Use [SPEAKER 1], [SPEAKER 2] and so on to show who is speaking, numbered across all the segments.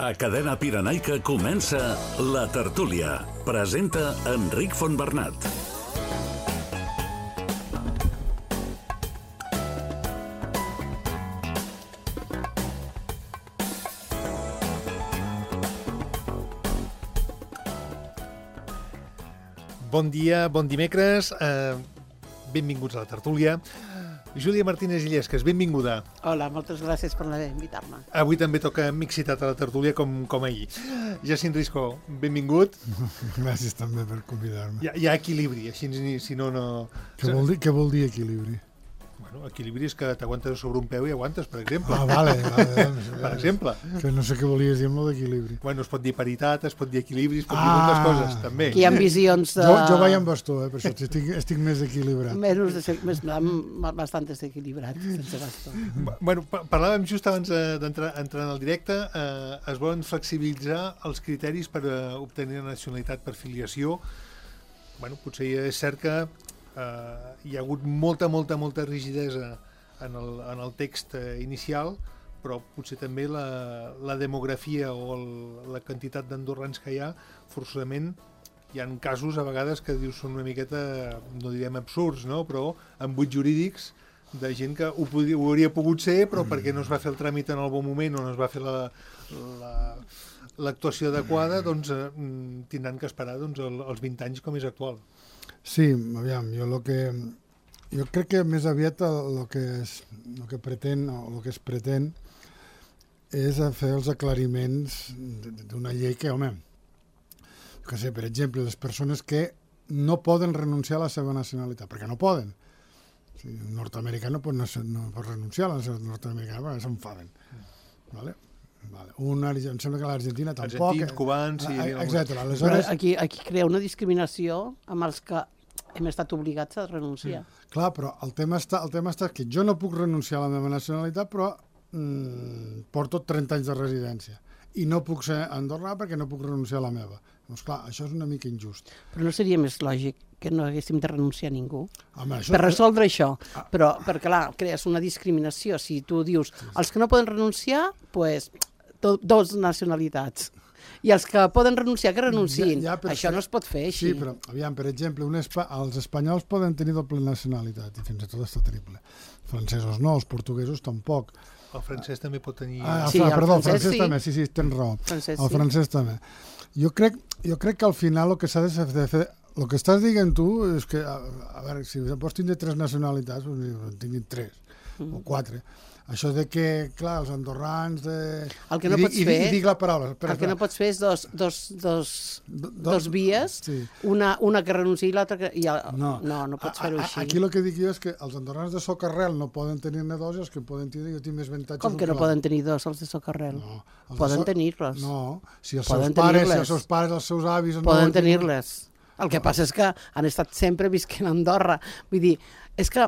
[SPEAKER 1] A Cadena Pirenaica comença La Tertúlia. Presenta Enric Fontbernat.
[SPEAKER 2] Bon dia, bon dimecres, benvinguts a La Tertúlia. Júlia Martínez Illescas, benvinguda.
[SPEAKER 3] Hola, moltes gràcies per invitar-me.
[SPEAKER 2] Avui també toca mixitat a La Tertúlia com ahir. Jacint Risco, benvingut.
[SPEAKER 4] Gràcies també per convidar-me.
[SPEAKER 2] Hi ha equilibri, així si no...
[SPEAKER 4] Què vol dir equilibri?
[SPEAKER 2] Bueno, equilibri és que t'aguantes sobre un peu i aguantes, per exemple.
[SPEAKER 4] Ah, vale.
[SPEAKER 2] Per exemple.
[SPEAKER 4] Que no sé què volies dir amb el d'equilibri.
[SPEAKER 2] Bueno, es pot dir paritat, es pot dir equilibri, es pot dir moltes coses, també.
[SPEAKER 3] Aquí hi ha visions de...
[SPEAKER 4] Jo vaig amb bastó, per això estic més equilibrat.
[SPEAKER 3] Bastant desequilibrat, sense bastó.
[SPEAKER 2] Bueno, parlàvem just abans d'entrar en el directe, es volen flexibilitzar els criteris per obtenir la nacionalitat per filiació. Bueno, potser és cert que hi ha hagut molta rigidesa en el text inicial, però potser també la demografia o la quantitat d'andorrans que hi ha, forçosament hi ha casos a vegades que dius són una miqueta, no direm absurds, no? Però amb buits jurídics de gent que ho hauria pogut ser, però perquè no es va fer el tràmit en el bon moment o no es va fer l'actuació adequada, doncs tindran que esperar els 20 anys com és actual.
[SPEAKER 4] Sí, aviam, jo crec que més aviat el que es pretén és fer els aclariments d'una llei que, home, que sé, per exemple, les persones que no poden renunciar a la seva nacionalitat, perquè no poden. Un nord-americà no pot renunciar a la seva nord-americana perquè s'enfaden. Vale? Em sembla que l'Argentina tampoc.
[SPEAKER 2] Argentins, cubans...
[SPEAKER 4] Etcètera.
[SPEAKER 3] Però aquí crea una discriminació amb els que hem estat obligats a renunciar.
[SPEAKER 4] Clar, però el tema està que jo no puc renunciar a la meva nacionalitat, però porto 30 anys de residència i no puc ser andorrà perquè no puc renunciar a la meva. Doncs clar, això és una mica injust.
[SPEAKER 3] Però no seria més lògic que no haguéssim de renunciar a ningú?
[SPEAKER 4] Home,
[SPEAKER 3] per resoldre això. Però, perquè clar, crees una discriminació. Si tu dius, els que no poden renunciar, doncs dos nacionalitats. I els que poden renunciar, que renunciïn. Això no es pot fer així.
[SPEAKER 4] Sí, però, aviam, per exemple, els espanyols poden tenir doble nacionalitat, i fins i tot està triple. Els francesos no, els portuguesos tampoc.
[SPEAKER 2] El francès també pot tenir...
[SPEAKER 4] El francès també, sí, tens raó. El francès també. Jo crec que al final el que s'ha de fer... El que estàs dient tu és que, a veure, si pots tindre 3 nacionalitats, doncs tinguin 3 o 4. Això de que, clar, els andorrans...
[SPEAKER 3] El que no pots fer...
[SPEAKER 4] I dic la paraula.
[SPEAKER 3] El que no pots fer és dos vies, una que renunciï i l'altra que... No pots fer-ho així.
[SPEAKER 4] Aquí el que dic jo és que els andorrans de socarrel no poden tenir-ne dos i els que poden tenir, jo tinc més avantatges...
[SPEAKER 3] Com que no poden tenir dos, els de socarrel?
[SPEAKER 4] No.
[SPEAKER 3] Poden tenir-les.
[SPEAKER 4] No, si els seus pares, els seus avis...
[SPEAKER 3] Poden tenir-les. El que passa és que han estat sempre visquent a Andorra. Vull dir, és que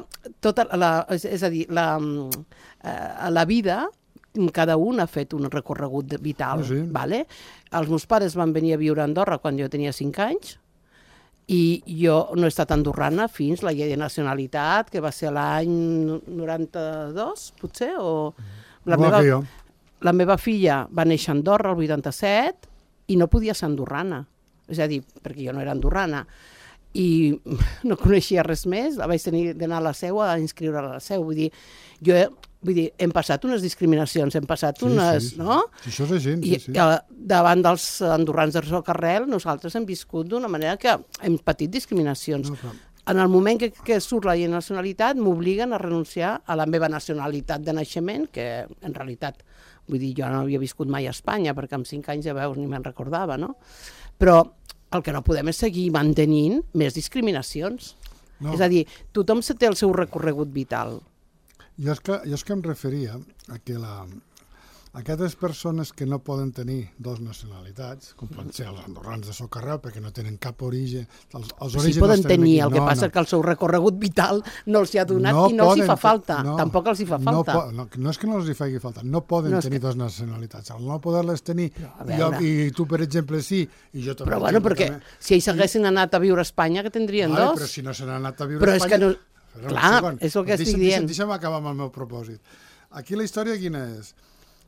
[SPEAKER 3] la vida, cada un ha fet un recorregut vital.
[SPEAKER 4] Sí.
[SPEAKER 3] Vale? Els meus pares van venir a viure a Andorra quan jo tenia 5 anys i jo no he estat andorrana fins la llei de nacionalitat, que va ser l'any 92, potser, o... La meva filla va néixer a Andorra el 87 i no podia ser andorrana. És a dir, perquè jo no era andorrana i no coneixia res més, vaig tenir d'anar a la seu a inscriure a la seu. Vull dir, hem passat unes discriminacions, hem passat unes...
[SPEAKER 4] Sí.
[SPEAKER 3] No?
[SPEAKER 4] Sí, això és gent, sí.
[SPEAKER 3] I davant dels andorrans de socarrel nosaltres hem viscut d'una manera que hem patit discriminacions. No, en el moment que surt la llei de nacionalitat m'obliguen a renunciar a la meva nacionalitat de naixement, que en realitat, vull dir, jo no havia viscut mai a Espanya, perquè amb 5 anys ja veus ni me'n recordava, no? Però el que no podem és seguir mantenint més discriminacions. No. És a dir, tothom té el seu recorregut vital.
[SPEAKER 4] Jo és que em referia a que aquestes persones que no poden tenir 2 nacionalitats, com poden ser els andorrans de socarrel, perquè no tenen cap origen...
[SPEAKER 3] Sí, poden tenir, el que passa que el seu recorregut vital no els hi ha donat i no els hi fa falta. Tampoc els hi fa falta.
[SPEAKER 4] No és que no els hi faci falta, no poden tenir 2 nacionalitats. Al no poder-les tenir, i tu, per exemple, sí, i jo també...
[SPEAKER 3] Però bueno, perquè si ells haguessin anat a viure a Espanya, que tindrien 2.
[SPEAKER 4] Però si no se n'han anat a viure a Espanya...
[SPEAKER 3] Clar, és el que estic dient.
[SPEAKER 4] Deixa'm acabar amb el meu propòsit. Aquí la història quina és?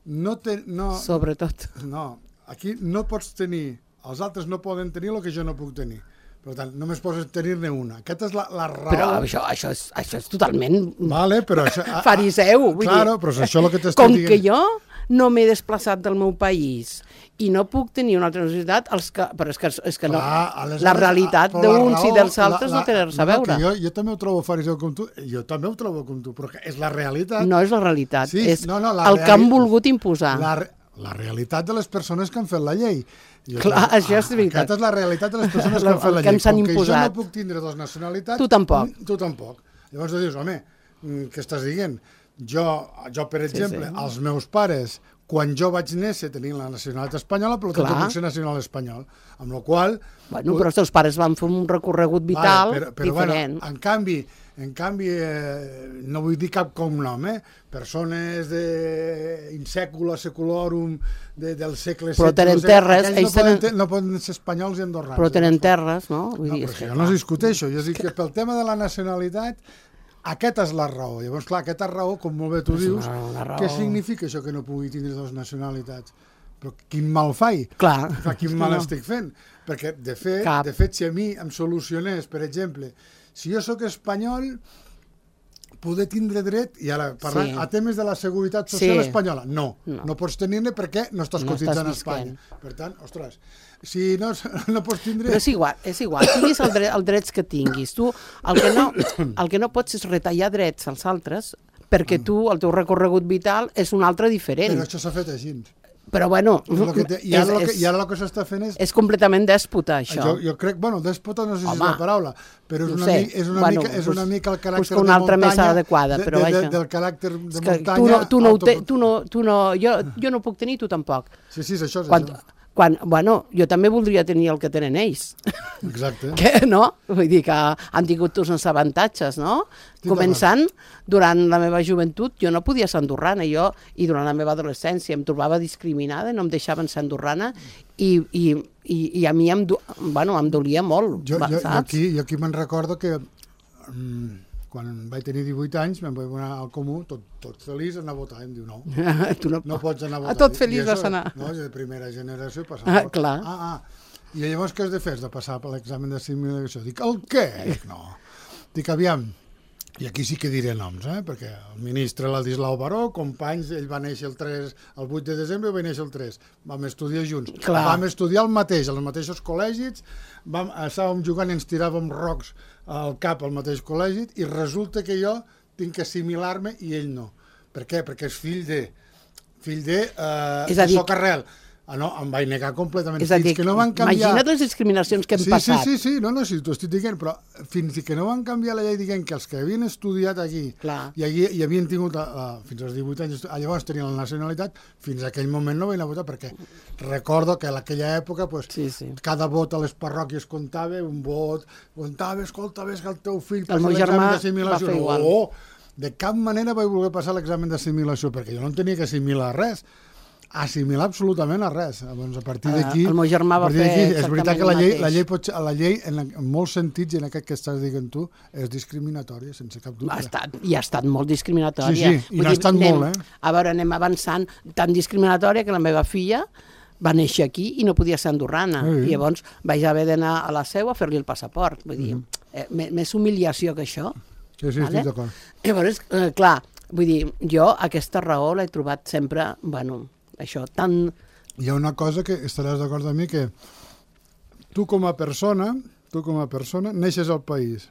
[SPEAKER 3] Sobretot.
[SPEAKER 4] No, aquí no pots tenir, els altres no poden tenir el que jo no puc tenir. Per tant, només pots tenir-ne una. Aquesta és la raó...
[SPEAKER 3] Però això és totalment...
[SPEAKER 4] Vale, però
[SPEAKER 3] fariseu.
[SPEAKER 4] Claro, però és això el que t'estic dient.
[SPEAKER 3] Com que jo no m'he desplaçat del meu país i no puc tenir una altra necessitat, però és que no, la realitat d'uns i dels altres no té res a veure.
[SPEAKER 4] Jo també ho trobo fariseu com tu, però és la realitat.
[SPEAKER 3] No és la realitat,
[SPEAKER 4] sí,
[SPEAKER 3] és el que han volgut imposar.
[SPEAKER 4] La realitat de les persones que han fet la llei.
[SPEAKER 3] Clar, això és veritat.
[SPEAKER 4] Aquesta és la realitat de les persones que han fet la llei.
[SPEAKER 3] Com que jo
[SPEAKER 4] no puc tindre dues nacionalitats...
[SPEAKER 3] Tu tampoc.
[SPEAKER 4] Tu tampoc. Llavors tu dius, home, què estàs dient? Jo per exemple, els meus pares, quan jo vaig néixer tenien la nacionalitat espanyola, però jo puc ser nacional espanyol. Amb la qual...
[SPEAKER 3] Bueno, però els teus pares van fer un recorregut vital diferent.
[SPEAKER 4] Bueno, en canvi, no vull dir cap cognom, persones in secula seculorum del segle XVI...
[SPEAKER 3] Però tenen terres...
[SPEAKER 4] No poden ser espanyols i andorrans.
[SPEAKER 3] Però tenen terres, no?
[SPEAKER 4] No, però jo no discuteixo. Jo dic que pel tema de la nacionalitat... Aquesta és la raó. Llavors, clar, aquesta raó, com molt bé tu dius, què significa això que no pugui tindre dues nacionalitats? Però quin mal faig?
[SPEAKER 3] Clar.
[SPEAKER 4] Quin mal estic fent? Perquè, de fet, si a mi em solucionés, per exemple, si jo sóc espanyol, poder tindre dret, i ara parlant a temes de la seguretat social espanyola, no pots tenir-ne perquè no estàs cotitzant a Espanya. Per tant, ostres, si no pots tindre...
[SPEAKER 3] Però és igual, tinguis els drets que tinguis. Tu el que no pots és retallar drets als altres perquè tu, el teu recorregut vital és un altre diferent.
[SPEAKER 4] Però això s'ha fet així.
[SPEAKER 3] Però bueno...
[SPEAKER 4] I ara el que s'està fent és...
[SPEAKER 3] És completament dèspota, això.
[SPEAKER 4] Jo crec, dèspota no sé si és la paraula, però és una mica el caràcter de
[SPEAKER 3] una altra més adequada, però vaja.
[SPEAKER 4] Del caràcter de muntanya...
[SPEAKER 3] Jo no puc tenir, tu tampoc.
[SPEAKER 4] Sí, és això.
[SPEAKER 3] Bueno, jo també voldria tenir el que tenen ells.
[SPEAKER 4] Exacte.
[SPEAKER 3] No? Vull dir que han tingut tots uns avantatges, no? Començant, durant la meva joventut, jo no podia ser andorrana, i durant la meva adolescència em trobava discriminada, no em deixaven ser andorrana, i a mi em dolia molt, saps?
[SPEAKER 4] Jo aquí me'n recordo que quan vaig tenir 18 anys me'n vaig anar al Comú, tot feliç, anar a votar. Em diu, no pots anar a votar.
[SPEAKER 3] A tot feliç vas anar.
[SPEAKER 4] No, és de primera generació.
[SPEAKER 3] Clar.
[SPEAKER 4] I llavors què has de fer? Has de passar per l'examen d'assimilació. Dic, el què? No. Dic, aviam, i aquí sí que diré noms, perquè el ministre Ladislau Baró, companys, ell va néixer el 8 de desembre i va néixer el 3. Vam estudiar junts. Vam estudiar el mateix, als mateixos col·legis, estàvem jugant i ens tiràvem rocs al cap al mateix col·legi, i resulta que jo tinc que assimilar-me i ell no. Per què? Perquè és fill de Socarrel. No, em vaig negar completament.
[SPEAKER 3] És a dir, imagina't les discriminacions que hem passat.
[SPEAKER 4] Sí, sí, t'ho estic dient, però fins que no van canviar la llei dient que els que havien estudiat aquí i havien tingut fins als 18 anys, llavors tenien la nacionalitat, fins a aquell moment no van anar a votar, perquè recordo que en aquella època cada vot a les parròquies comptava, un vot, escolta, ves que el teu fill passa l'examen d'assimilació.
[SPEAKER 3] El meu germà va fer igual.
[SPEAKER 4] De cap manera vaig voler passar l'examen d'assimilació, perquè jo no tenia que assimilar res. Assimilar absolutament a res. Doncs a partir d'aquí...
[SPEAKER 3] El meu germà va fer
[SPEAKER 4] és veritat que la llei en molts sentits, i en aquest que estàs dient tu, és discriminatòria, sense cap dubte.
[SPEAKER 3] I ha estat molt discriminatòria.
[SPEAKER 4] Sí, i n'ha estat molt,
[SPEAKER 3] A veure, anem avançant. Tan discriminatòria que la meva filla va néixer aquí i no podia ser andorrana. I llavors vaig haver d'anar a la seu a fer-li el passaport. Vull dir, més humiliació que això.
[SPEAKER 4] Sí, estic d'acord.
[SPEAKER 3] Llavors, clar, vull dir, jo aquesta raó l'he trobat sempre, això, tan...
[SPEAKER 4] Hi ha una cosa que estaràs d'acord amb mi, que tu com a persona neixes al país.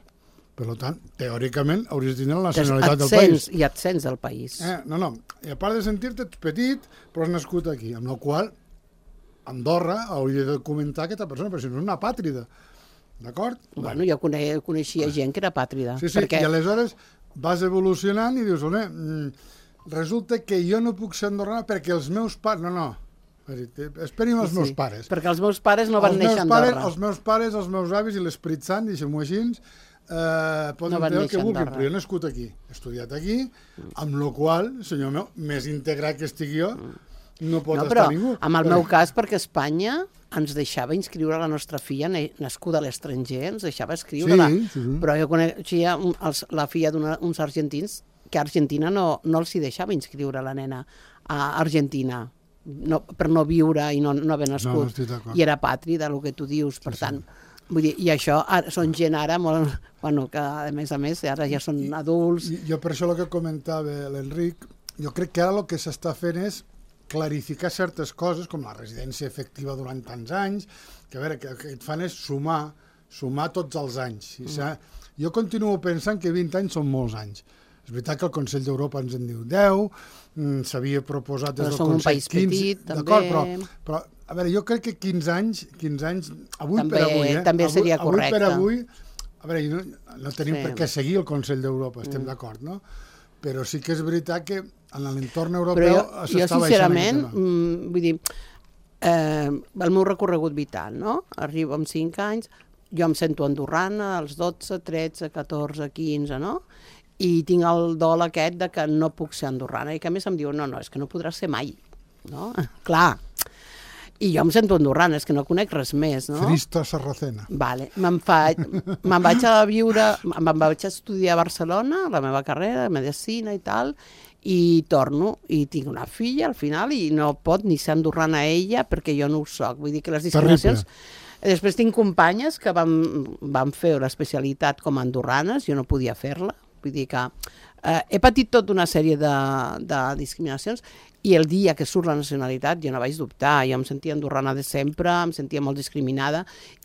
[SPEAKER 4] Per tant, teòricament, hauries de tenir la nacionalitat del país.
[SPEAKER 3] I et sents del país.
[SPEAKER 4] No. I a part de sentir-te petit, però has nascut aquí. Amb la qual Andorra hauria de documentar aquesta persona, perquè si no és una pàtrida. D'acord?
[SPEAKER 3] Bueno, jo coneixia gent que era pàtrida.
[SPEAKER 4] Sí, i aleshores vas evolucionant i dius, resulta que jo no puc ser andorrana perquè els meus pares... No. Esperi'm els meus pares.
[SPEAKER 3] Perquè els meus pares no van néixer a Andorra.
[SPEAKER 4] Els meus pares, els meus avis i l'Esperit Sant, deixem-ho així, poden fer el que vulguin, però jo he nascut aquí, he estudiat aquí, amb la qual, senyor meu, més integrat que estic jo, no pot estar ningú.
[SPEAKER 3] En el meu cas, perquè Espanya ens deixava inscriure la nostra filla nascuda a l'estranger, ens deixava escriure-la. Però jo coneixia la filla d'uns argentins que a Argentina no els hi deixava inscriure la nena a Argentina, per no viure i no haver nascut, i era patri del que tu dius, per tant. Vull dir, i això són gent ara molt... Bueno, que a més, ara ja són adults.
[SPEAKER 4] Jo per això el que comentava l'Enric, jo crec que ara el que s'està fent és clarificar certes coses, com la residència efectiva durant tants anys, que a veure, que et fan és sumar tots els anys. Jo continuo pensant que 20 anys són molts anys. És veritat que el Consell d'Europa ens en diu 10, s'havia proposat des del Consell 15... Però som un país petit, també... Però, a veure, jo crec que 15 anys, avui també, per avui...
[SPEAKER 3] També seria correcte.
[SPEAKER 4] Avui per avui, a veure, no tenim per què seguir el Consell d'Europa, estem d'acord, no? Però sí que és veritat que en l'entorn europeu s'està baixant aquest tema.
[SPEAKER 3] Vull dir, el meu recorregut vital, no? Arribo amb 5 anys, jo em sento andorrana als 12, 13, 14, 15, no? I tinc el dol aquest de que no puc ser andorrana i que a més em diuen, no, és que no podràs ser mai, no? Clar, i jo em sento andorrana, és que no conec res més, no?
[SPEAKER 4] Cristo Sarracena.
[SPEAKER 3] Vale, me'n vaig a viure, me'n vaig a estudiar a Barcelona, la meva carrera, medicina i tal, i torno, i tinc una filla al final i no pot ni ser andorrana ella perquè jo no ho soc, vull dir que les discriminacions...
[SPEAKER 4] Terrible.
[SPEAKER 3] Després tinc companyes que van fer l'especialitat com a andorranes, jo no podia fer-la, vull dir que he patit tota una sèrie de discriminacions i el dia que surt la nacionalitat jo no vaig dubtar, jo em sentia andorrana de sempre, em sentia molt discriminada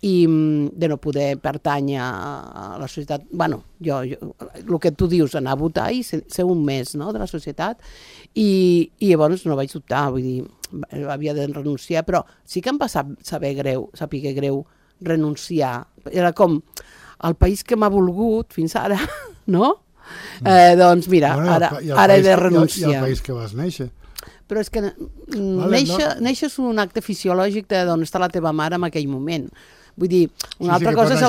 [SPEAKER 3] i de no poder pertànyer a la societat, bueno, el que tu dius, anar a votar i ser un més, no?, de la societat i llavors no vaig dubtar, vull dir, havia de renunciar, però sí que em va saber greu renunciar, era com el país que m'ha volgut fins ara, no? Doncs mira, ara he de renunciar.
[SPEAKER 4] I el país que vas néixer.
[SPEAKER 3] Però és que néixer és un acte fisiològic d'on està la teva mare en aquell moment. Vull dir, una altra cosa és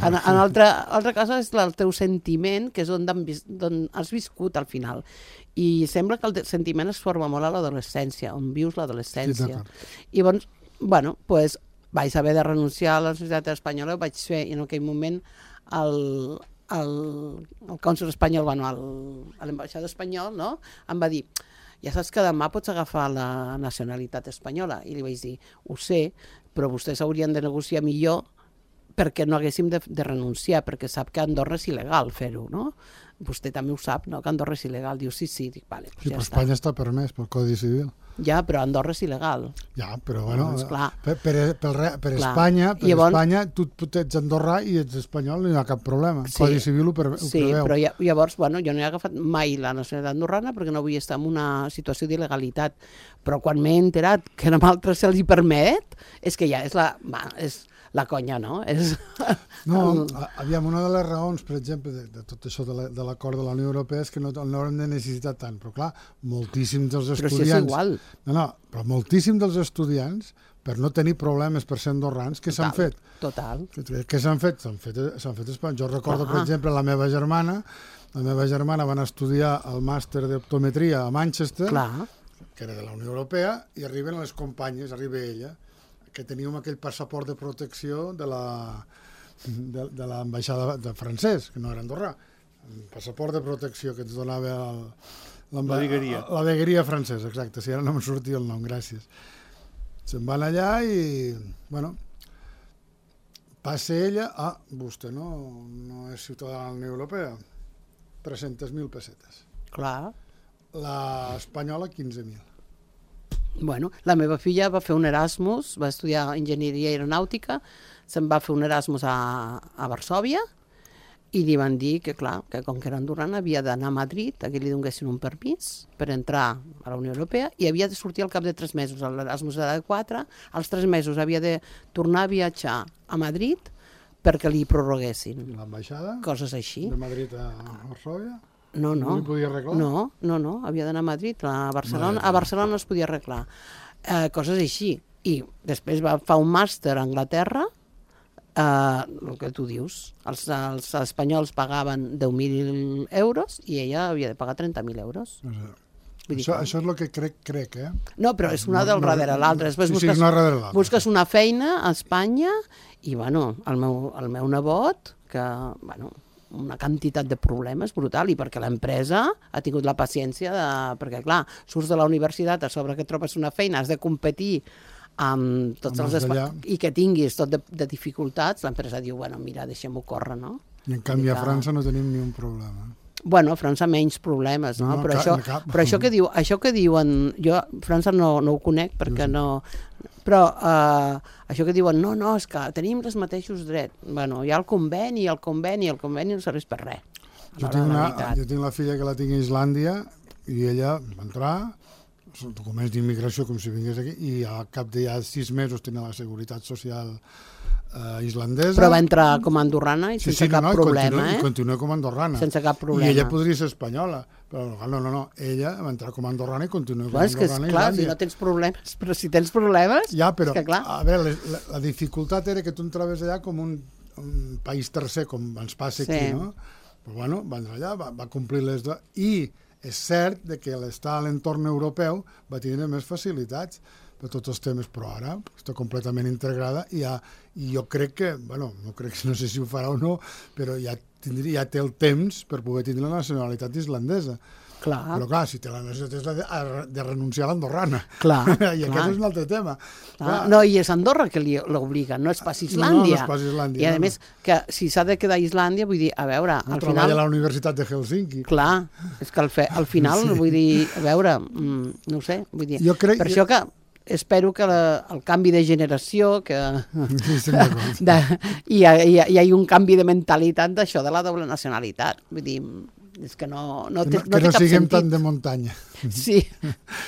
[SPEAKER 3] altra cosa és el teu sentiment, que és on has viscut al final. I sembla que el sentiment es forma molt a l'adolescència, on vius l'adolescència. I llavors, bueno, doncs vaig haver de renunciar a la societat espanyola, vaig fer en aquell moment el cònsol espanyol, bueno, l'ambaixador espanyol, no?, em va dir, ja saps que demà pots agafar la nacionalitat espanyola. I li vaig dir, ho sé, però vostès haurien de negociar millor perquè no haguéssim de renunciar, perquè sap que a Andorra és il·legal fer-ho, no? Vostè també ho sap, no?, que Andorra és il·legal. Diu, sí, dic, vale, doncs
[SPEAKER 4] sí, ja està. Espanya està permès pel Codi Civil.
[SPEAKER 3] Ja, però Andorra és il·legal.
[SPEAKER 4] Ja, però bueno, per
[SPEAKER 3] Clar.
[SPEAKER 4] Espanya, tu ets andorrà i ets espanyol, no hi ha cap problema. El Codi Civil ho preveu.
[SPEAKER 3] Sí, però llavors, bueno, jo no he agafat mai la nacionalitat andorrana perquè no vull estar en una situació d'il·legalitat. Però quan m'he enterat que a altres se'ls hi permet, és que ja és la conya, no?
[SPEAKER 4] No, aviam, una de les raons, per exemple, de tot això de l'acord de la Unió Europea és que no haurem de necessitar tant, però clar, moltíssims dels estudiants...
[SPEAKER 3] Però si és igual.
[SPEAKER 4] No, però moltíssims dels estudiants, per no tenir problemes per ser andorrans, què s'han fet?
[SPEAKER 3] Total.
[SPEAKER 4] Què s'han fet? S'han fet espanyol. Jo recordo, per exemple, la meva germana va anar a estudiar el màster d'optometria a Manchester, que era de la Unió Europea, i arriben les companyes, arriba ella, que teníem aquell passaport de protecció de l'ambaixada de francès, que no era andorrà. Un passaport de protecció que ens donava
[SPEAKER 2] la vegueria.
[SPEAKER 4] La vegueria francesa, exacte. Si ara no em sortia el nom, gràcies. Se'n van allà i, bueno, passa ella, vostè no és ciutadà de la Unió Europea. 300.000 pessetes.
[SPEAKER 3] Clar.
[SPEAKER 4] L'espanyola, 15.000.
[SPEAKER 3] Bueno, la meva filla va fer un Erasmus, va estudiar enginyeria aeronàutica, se'n va fer un Erasmus a Varsòvia i li van dir que, clar, que com que era andorrana havia d'anar a Madrid, que li donessin un permís per entrar a la Unió Europea i havia de sortir al cap de 3 mesos. L'Erasmus era de 4, als 3 mesos havia de tornar a viatjar a Madrid perquè li prorroguessin.
[SPEAKER 4] L'ambaixada?
[SPEAKER 3] Coses així.
[SPEAKER 4] De Madrid a Varsòvia?
[SPEAKER 3] No.
[SPEAKER 4] No li podia arreglar?
[SPEAKER 3] No, havia d'anar a Madrid, a Barcelona. A Barcelona no es podia arreglar. Coses així. I després va fer un màster a Anglaterra, el que tu dius. Els espanyols pagaven 10.000 euros i ella havia de pagar 30.000 euros.
[SPEAKER 4] Això és el que crec, eh?
[SPEAKER 3] No, però és una del darrere l'altra. Després busques una feina a Espanya i, bueno, el meu nebot, que, bueno, una quantitat de problemes brutal, i perquè l'empresa ha tingut la paciència perquè, clar, surts de la universitat, a sobre que trobes una feina, has de competir amb tots els i que tinguis tot de dificultats, l'empresa diu, bueno, mira, deixem-ho córrer, no?
[SPEAKER 4] I en canvi a França no tenim ni un problema.
[SPEAKER 3] Bueno, a França menys problemes, no? Però això que diuen... Jo a França no ho conec perquè no... Però això que diuen, no, és que tenim els mateixos drets. Bueno, hi ha el conveni no serveix per res.
[SPEAKER 4] Jo tinc la filla que la tinc a Islàndia i ella va entrar, documents d'immigració com si vingués aquí, i al cap de 6 mesos tenia la seguretat social islandesa.
[SPEAKER 3] Però va entrar com a andorrana i sense cap problema,
[SPEAKER 4] i continua com a andorrana.
[SPEAKER 3] Sense cap problema.
[SPEAKER 4] I ella podria ser espanyola, però no, ella va entrar com a andorrana i continua com a andorrana.
[SPEAKER 3] Clar, si no tens problemes, però si tens problemes...
[SPEAKER 4] Ja, però,
[SPEAKER 3] és que, clar...
[SPEAKER 4] a veure, la dificultat era que tu entraves allà com un país tercer, com ens passa aquí, no? Però bueno, va entrar allà, va complir les... I és cert que l'estar a l'entorn europeu va tindre més facilitats per tots els temes, però ara està completament integrada i jo crec que, bueno, no sé si ho farà o no, però ja té el temps per poder tindre la nacionalitat islandesa.
[SPEAKER 3] Clar.
[SPEAKER 4] Però clar, si té la necessitat ha de renunciar a l'andorrana.
[SPEAKER 3] Clar.
[SPEAKER 4] I aquest és un altre tema.
[SPEAKER 3] No, i és Andorra que l'obliga, no és pas Islàndia.
[SPEAKER 4] No és pas Islàndia.
[SPEAKER 3] I a més, que si s'ha de quedar a Islàndia, vull dir, a veure, al final...
[SPEAKER 4] Treballa a la Universitat de Helsinki.
[SPEAKER 3] Clar, és que al final, vull dir, a veure, no ho sé, vull dir... Per això que espero que el canvi de generació, que hi ha un canvi de mentalitat d'això, de la doble nacionalitat. Vull dir, és que no té cap sentit.
[SPEAKER 4] Que no siguem tan de muntanya.
[SPEAKER 3] Sí,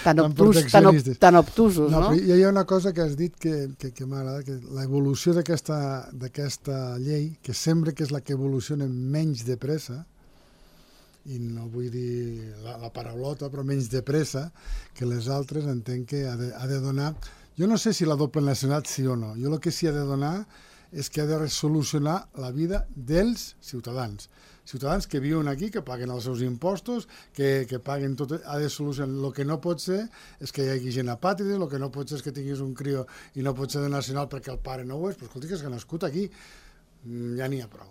[SPEAKER 3] tan obtusos, no?
[SPEAKER 4] Però hi ha una cosa que has dit que m'agrada, que l'evolució d'aquesta llei, que sembla que és la que evoluciona menys de pressa, i no vull dir la paraulota, però menys de pressa, que les altres entenc que ha de donar... Jo no sé si la doble nacionalitat sí o no. Jo el que sí ha de donar és que ha de solucionar la vida dels ciutadans. Ciutadans que viuen aquí, que paguen els seus impostos, que paguen tot, ha de solucionar. El que no pot ser és que hi hagi gent apàtrida, el que no pot ser és que tinguis un crió i no pot ser de nacional perquè el pare no ho és, però escolti, que és que ha nascut aquí. Ja n'hi ha prou.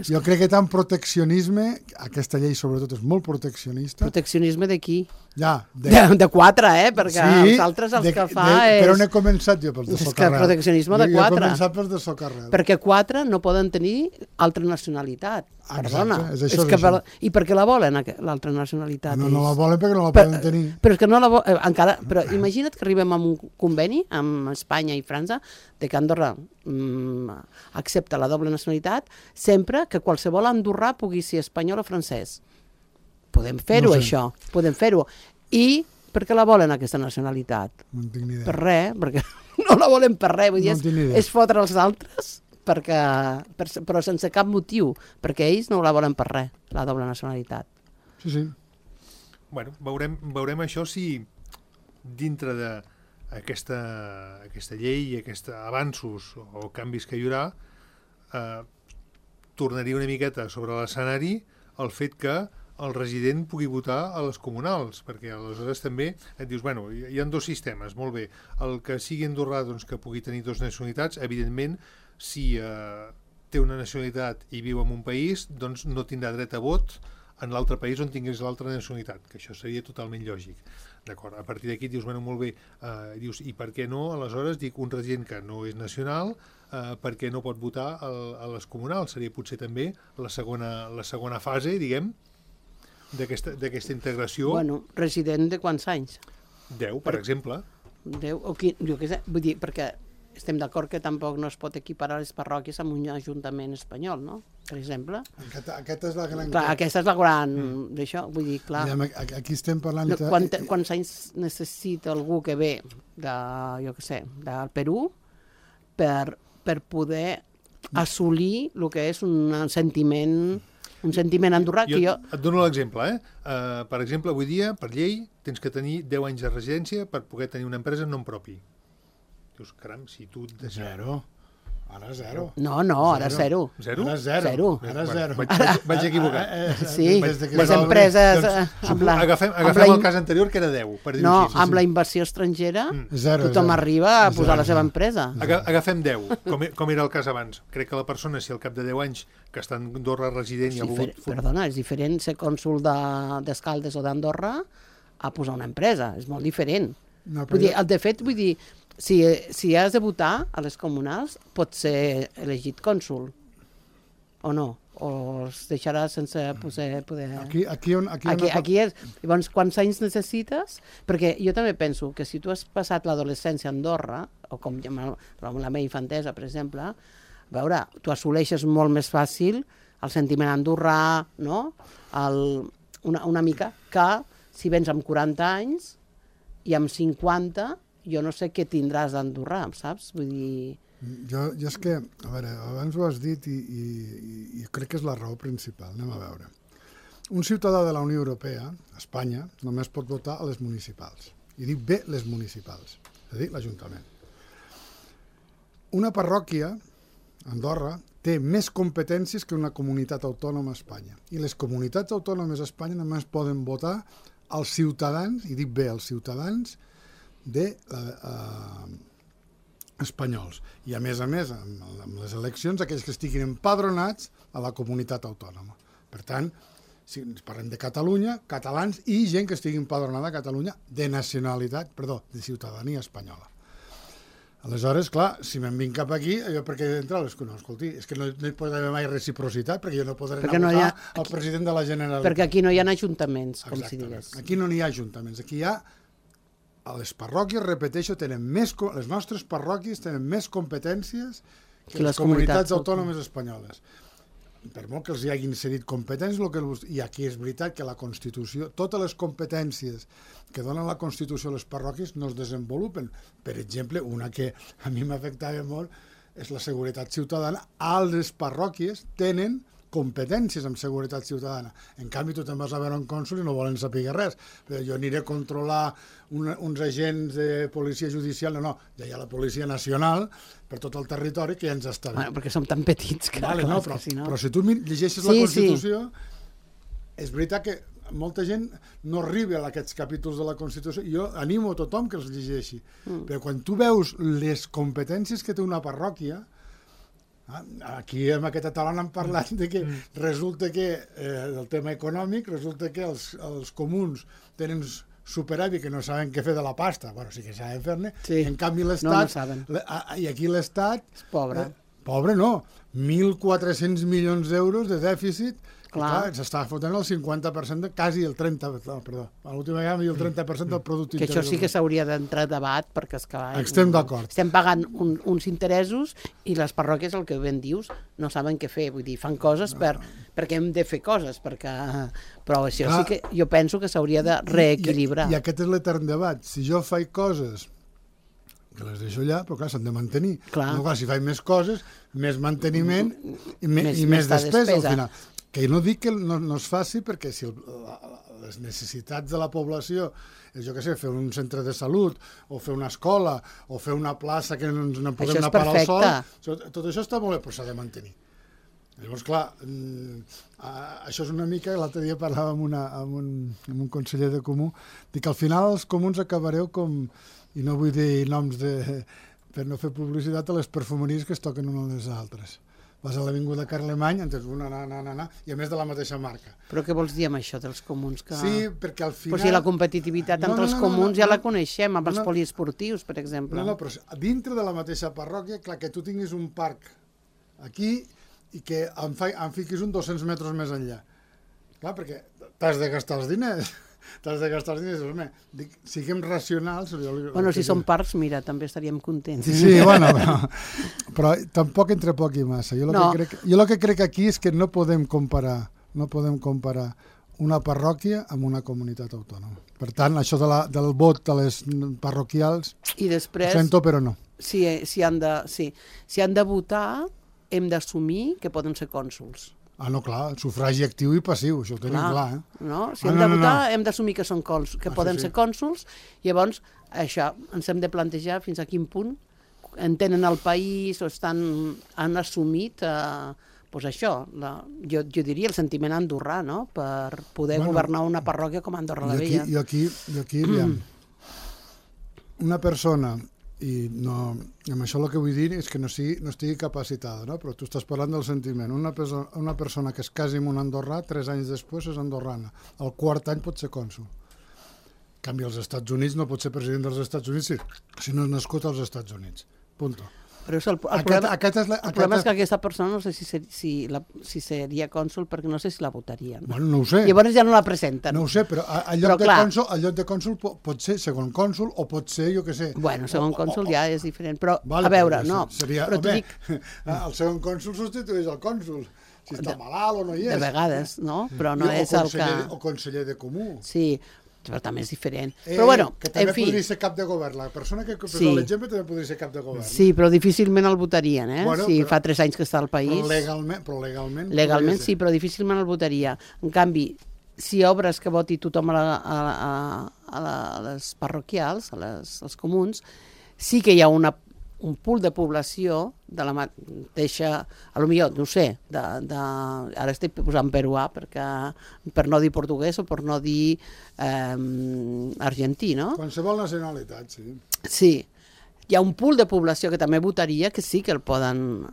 [SPEAKER 4] Jo crec que tant proteccionisme, aquesta llei sobretot és molt proteccionista.
[SPEAKER 3] Proteccionisme de qui?
[SPEAKER 4] Ja.
[SPEAKER 3] De 4, perquè els altres els que fa és...
[SPEAKER 4] Per on he començat jo? Pel de Socarrel.
[SPEAKER 3] És que proteccionisme de 4.
[SPEAKER 4] Jo he començat pel de Socarrel.
[SPEAKER 3] Perquè 4 no poden tenir altra nacionalitat. Perdona.
[SPEAKER 4] Exacte,
[SPEAKER 3] I per què la volen, l'altra nacionalitat?
[SPEAKER 4] No la volen perquè no la poden tenir.
[SPEAKER 3] Però és que no la volen... Encara... Però imagina't que arribem a un conveni amb Espanya i França de que Andorra accepta la doble nacionalitat sempre que qualsevol andorrà pugui ser espanyol o francès. Podem fer-ho, això. Podem fer-ho. I per què la volen, aquesta nacionalitat?
[SPEAKER 4] No en tinc ni idea.
[SPEAKER 3] Per res, perquè no la volen per res. Vull dir, és fotre els altres, però sense cap motiu, perquè ells no la volen per res, la doble nacionalitat.
[SPEAKER 4] Sí.
[SPEAKER 2] Bueno, veurem això si dintre d'aquesta llei i aquests avanços o canvis que hi haurà tornaria una miqueta sobre l'escenari el fet que el resident pugui votar a les comunals, perquè aleshores també et dius, bueno, hi ha 2 sistemes, molt bé, el que sigui andorrà doncs, que pugui tenir 2 nacionalitats, evidentment, si té una nacionalitat i viu en un país, doncs no tindrà dret a vot en l'altre país on tingués l'altra nacionalitat, que això seria totalment lògic. D'acord, a partir d'aquí dius, bueno, molt bé, dius, i per què no, aleshores, dic, un resident que no és nacional, per què no pot votar a les comunals? Seria potser també la segona fase, diguem, d'aquesta integració.
[SPEAKER 3] Bueno, resident de quants anys?
[SPEAKER 2] 10, per exemple.
[SPEAKER 3] 10, o 15, jo què sé, vull dir, perquè estem d'acord que tampoc no es pot equiparar les parròquies amb un ajuntament espanyol, no? Per exemple.
[SPEAKER 4] Aquesta és la gran...
[SPEAKER 3] Clar, aquesta és la gran... d'això, vull dir, clar...
[SPEAKER 4] Aquí estem parlant...
[SPEAKER 3] Quants anys necessita algú que ve de, jo què sé, del Perú per poder assolir el que és un sentiment andorrà que jo...
[SPEAKER 2] Et dono l'exemple, per exemple, avui dia, per llei, tens que tenir 10 anys de residència per poder tenir una empresa en nom propi. Dius, caram, si tu...
[SPEAKER 4] Zero. Ara zero.
[SPEAKER 3] No, ara zero.
[SPEAKER 2] Zero?
[SPEAKER 4] Ara zero.
[SPEAKER 3] Zero.
[SPEAKER 4] Ara zero.
[SPEAKER 2] Vaig equivocar.
[SPEAKER 3] Sí,
[SPEAKER 4] Des de que
[SPEAKER 3] les
[SPEAKER 4] es va obrir,
[SPEAKER 3] empreses...
[SPEAKER 2] Agafem el cas anterior, que era 10, per dir-ho
[SPEAKER 3] No,
[SPEAKER 2] així.
[SPEAKER 3] amb la inversió estrangera
[SPEAKER 4] Zero,
[SPEAKER 3] tothom
[SPEAKER 4] zero.
[SPEAKER 3] arriba a posar la seva empresa.
[SPEAKER 2] Agafem 10, com era el cas abans. Crec que la persona, si al cap de 10 anys que està en Andorra resident i ha volgut...
[SPEAKER 3] Perdona, és diferent ser cònsol d'Escaldes o d'Andorra a posar una empresa, és molt diferent.
[SPEAKER 4] No,
[SPEAKER 3] Vull dir, de fet, vull dir, si has de votar a les comunals, pots ser elegit cònsol, o no? O es deixarà sense poder...
[SPEAKER 4] Aquí
[SPEAKER 3] és... Llavors, quants anys necessites? Perquè jo també penso que si tu has passat l'adolescència a Andorra, o com la meva infantesa, per exemple, a veure, tu assoleixes molt més fàcil el sentiment andorrà, no? Una mica que si vens amb 40 anys i amb 50, jo no sé què tindràs d'andorrà, saps? Vull dir...
[SPEAKER 4] Jo és que, a veure, abans ho has dit i crec que és la raó principal. Anem a veure. Un ciutadà de la Unió Europea, Espanya, només pot votar a les municipals. I dic bé les municipals, és a dir, l'Ajuntament. Una parròquia, Andorra, té més competències que una comunitat autònoma a Espanya. I les comunitats autònomes a Espanya només poden votar als ciutadans, i dic bé, als ciutadans espanyols. I a més, amb les eleccions, aquells que estiguin empadronats a la comunitat autònoma. Per tant, si ens parlem de Catalunya, catalans i gent que estigui empadronada a Catalunya de de ciutadania espanyola. Aleshores, clar, si me'n vinc cap aquí, jo perquè he d'entrar a les conegut, escolti, és que no hi pot haver mai reciprocitat, perquè jo no podré anar a votar al president de la Generalitat.
[SPEAKER 3] Perquè aquí no hi ha ajuntaments, com si digués.
[SPEAKER 4] Aquí no n'hi ha ajuntaments, aquí hi ha... Les parròquies, repeteixo, les nostres parròquies tenen més competències que les comunitats autònomes espanyoles. Per molt que els hi hagin cedit competències, i aquí és veritat que la Constitució, totes les competències que donen la Constitució a les parròquies no es desenvolupen. Per exemple, una que a mi m'afectava molt és la seguretat ciutadana. A les parròquies tenen competències en seguretat ciutadana. En canvi, tu te'n vas a veure un cònsol i no volen saber res. Però jo aniré a controlar uns agents de policia judicial. No, ja hi ha la Policia Nacional per tot el territori que ja ens està bé.
[SPEAKER 3] Bueno, perquè som tan petits que...
[SPEAKER 4] Vale, no, però si tu llegeixes la Constitució, és veritat que molta gent no arriba a aquests capítols de la Constitució. Jo animo a tothom que els llegeixi. Però quan tu veus les competències que té una parròquia, aquí en aquesta taula han parlat de que resulta que del tema econòmic, resulta que els comuns tenen superàvit que no saben què fer de la pasta. Bueno, sí que saben fer-ne. En canvi l'Estat... I aquí l'Estat...
[SPEAKER 3] És pobre.
[SPEAKER 4] Pobre no. 1.400 milions d'euros de dèficit. Clar, s'està fotent el 50%, quasi el 30%, perdó, a l'última vegada el 30% del producte
[SPEAKER 3] interior. Que això sí que s'hauria d'entrar a debat, perquè
[SPEAKER 4] estem d'acord.
[SPEAKER 3] Estem pagant uns interessos i les parròquies, el que ben dius, no saben què fer. Vull dir, fan coses perquè hem de fer coses, però això sí que jo penso que s'hauria de reequilibrar.
[SPEAKER 4] I aquest és l'etern debat. Si jo faig coses que les deixo allà, però clar, s'han de mantenir. Si faig més coses, més manteniment i més despesa al final. Que no dic que no es faci, perquè si les necessitats de la població és, jo què sé, fer un centre de salut, o fer una escola, o fer una plaça que no ens podem anar a parar al sol, tot això està molt bé, però s'ha de mantenir. Llavors, clar, això és una mica... L'altre dia parlava amb un conseller de Comú, dic que al final els comuns acabareu com, i no vull dir noms per no fer publicitat, a les perfumeries que es toquen unes a les altres. Vas a l'Avinguda Carlemany, entens una, i a més de la mateixa marca.
[SPEAKER 3] Però què vols dir amb això dels comuns?
[SPEAKER 4] Sí, perquè al final...
[SPEAKER 3] Però si la competitivitat entre els comuns ja la coneixem, amb els poliesportius, per exemple.
[SPEAKER 4] No, però dintre de la mateixa parròquia, clar, que tu tinguis un parc aquí i que em fiquis un 200 metres més enllà. Clar, perquè t'has de gastar els diners. Home, siguem racionals.
[SPEAKER 3] Bueno, si són parcs, mira, també estaríem contents.
[SPEAKER 4] Sí, bueno, però tampoc entre poc i massa. Jo el que crec aquí és que no podem comparar una parròquia amb una comunitat autònoma. Per tant, això del vot de les parroquials,
[SPEAKER 3] i després,
[SPEAKER 4] ho sento, però no.
[SPEAKER 3] Si han de votar, hem d'assumir que poden ser cònsols.
[SPEAKER 4] No, clar, sufragi actiu i passiu, això ho tenim clar.
[SPEAKER 3] No? Si hem de votar, hem d'assumir que són que poden ser cònsols, llavors això ens hem de plantejar fins a quin punt entenen el país o han assumit pues això, jo diria el sentiment andorrà, no? Per poder governar una parròquia com Andorra la Vella.
[SPEAKER 4] I aquí aviam, una persona, i amb això el que vull dir és que no estigui capacitada, no? Però tu estàs parlant del sentiment. Una persona que es casi amb un andorrà, 3 anys després és andorrana. El 4è any pot ser cònsol. En canvi, als Estats Units no pot ser president dels Estats Units si no és nascut als Estats Units. Punto.
[SPEAKER 3] Però el problema és que aquesta persona no sé si seria cònsol perquè no sé si la votarien.
[SPEAKER 4] Bueno, no ho sé.
[SPEAKER 3] Llavors ja no la presenten.
[SPEAKER 4] No ho sé, però al lloc de cònsol pot ser segon cònsol o pot ser, jo què sé...
[SPEAKER 3] Bueno, segon cònsol ja és diferent, però a veure, no.
[SPEAKER 4] El segon cònsol substitueix el cònsol, si està malalt o no hi és.
[SPEAKER 3] De vegades, no? Però no és el que...
[SPEAKER 4] O conseller de comú.
[SPEAKER 3] Sí, però també és diferent. Però bueno,
[SPEAKER 4] que també podria ser cap de govern. La persona que posa l'exemple també podria ser cap de govern.
[SPEAKER 3] Sí, però difícilment el votarien, si fa 3 anys que està al país.
[SPEAKER 4] Però legalment...
[SPEAKER 3] Legalment sí, però difícilment el votaria. En canvi, si obres que voti tothom a les parroquials, als comuns, sí que hi ha un pool de població de la mateixa, potser, no ho sé, ara estic posant peruà per no dir portuguès o per no dir argentí, no?
[SPEAKER 4] Qualsevol nacionalitat, sí.
[SPEAKER 3] Sí. Hi ha un pool de població que també votaria que sí que el poden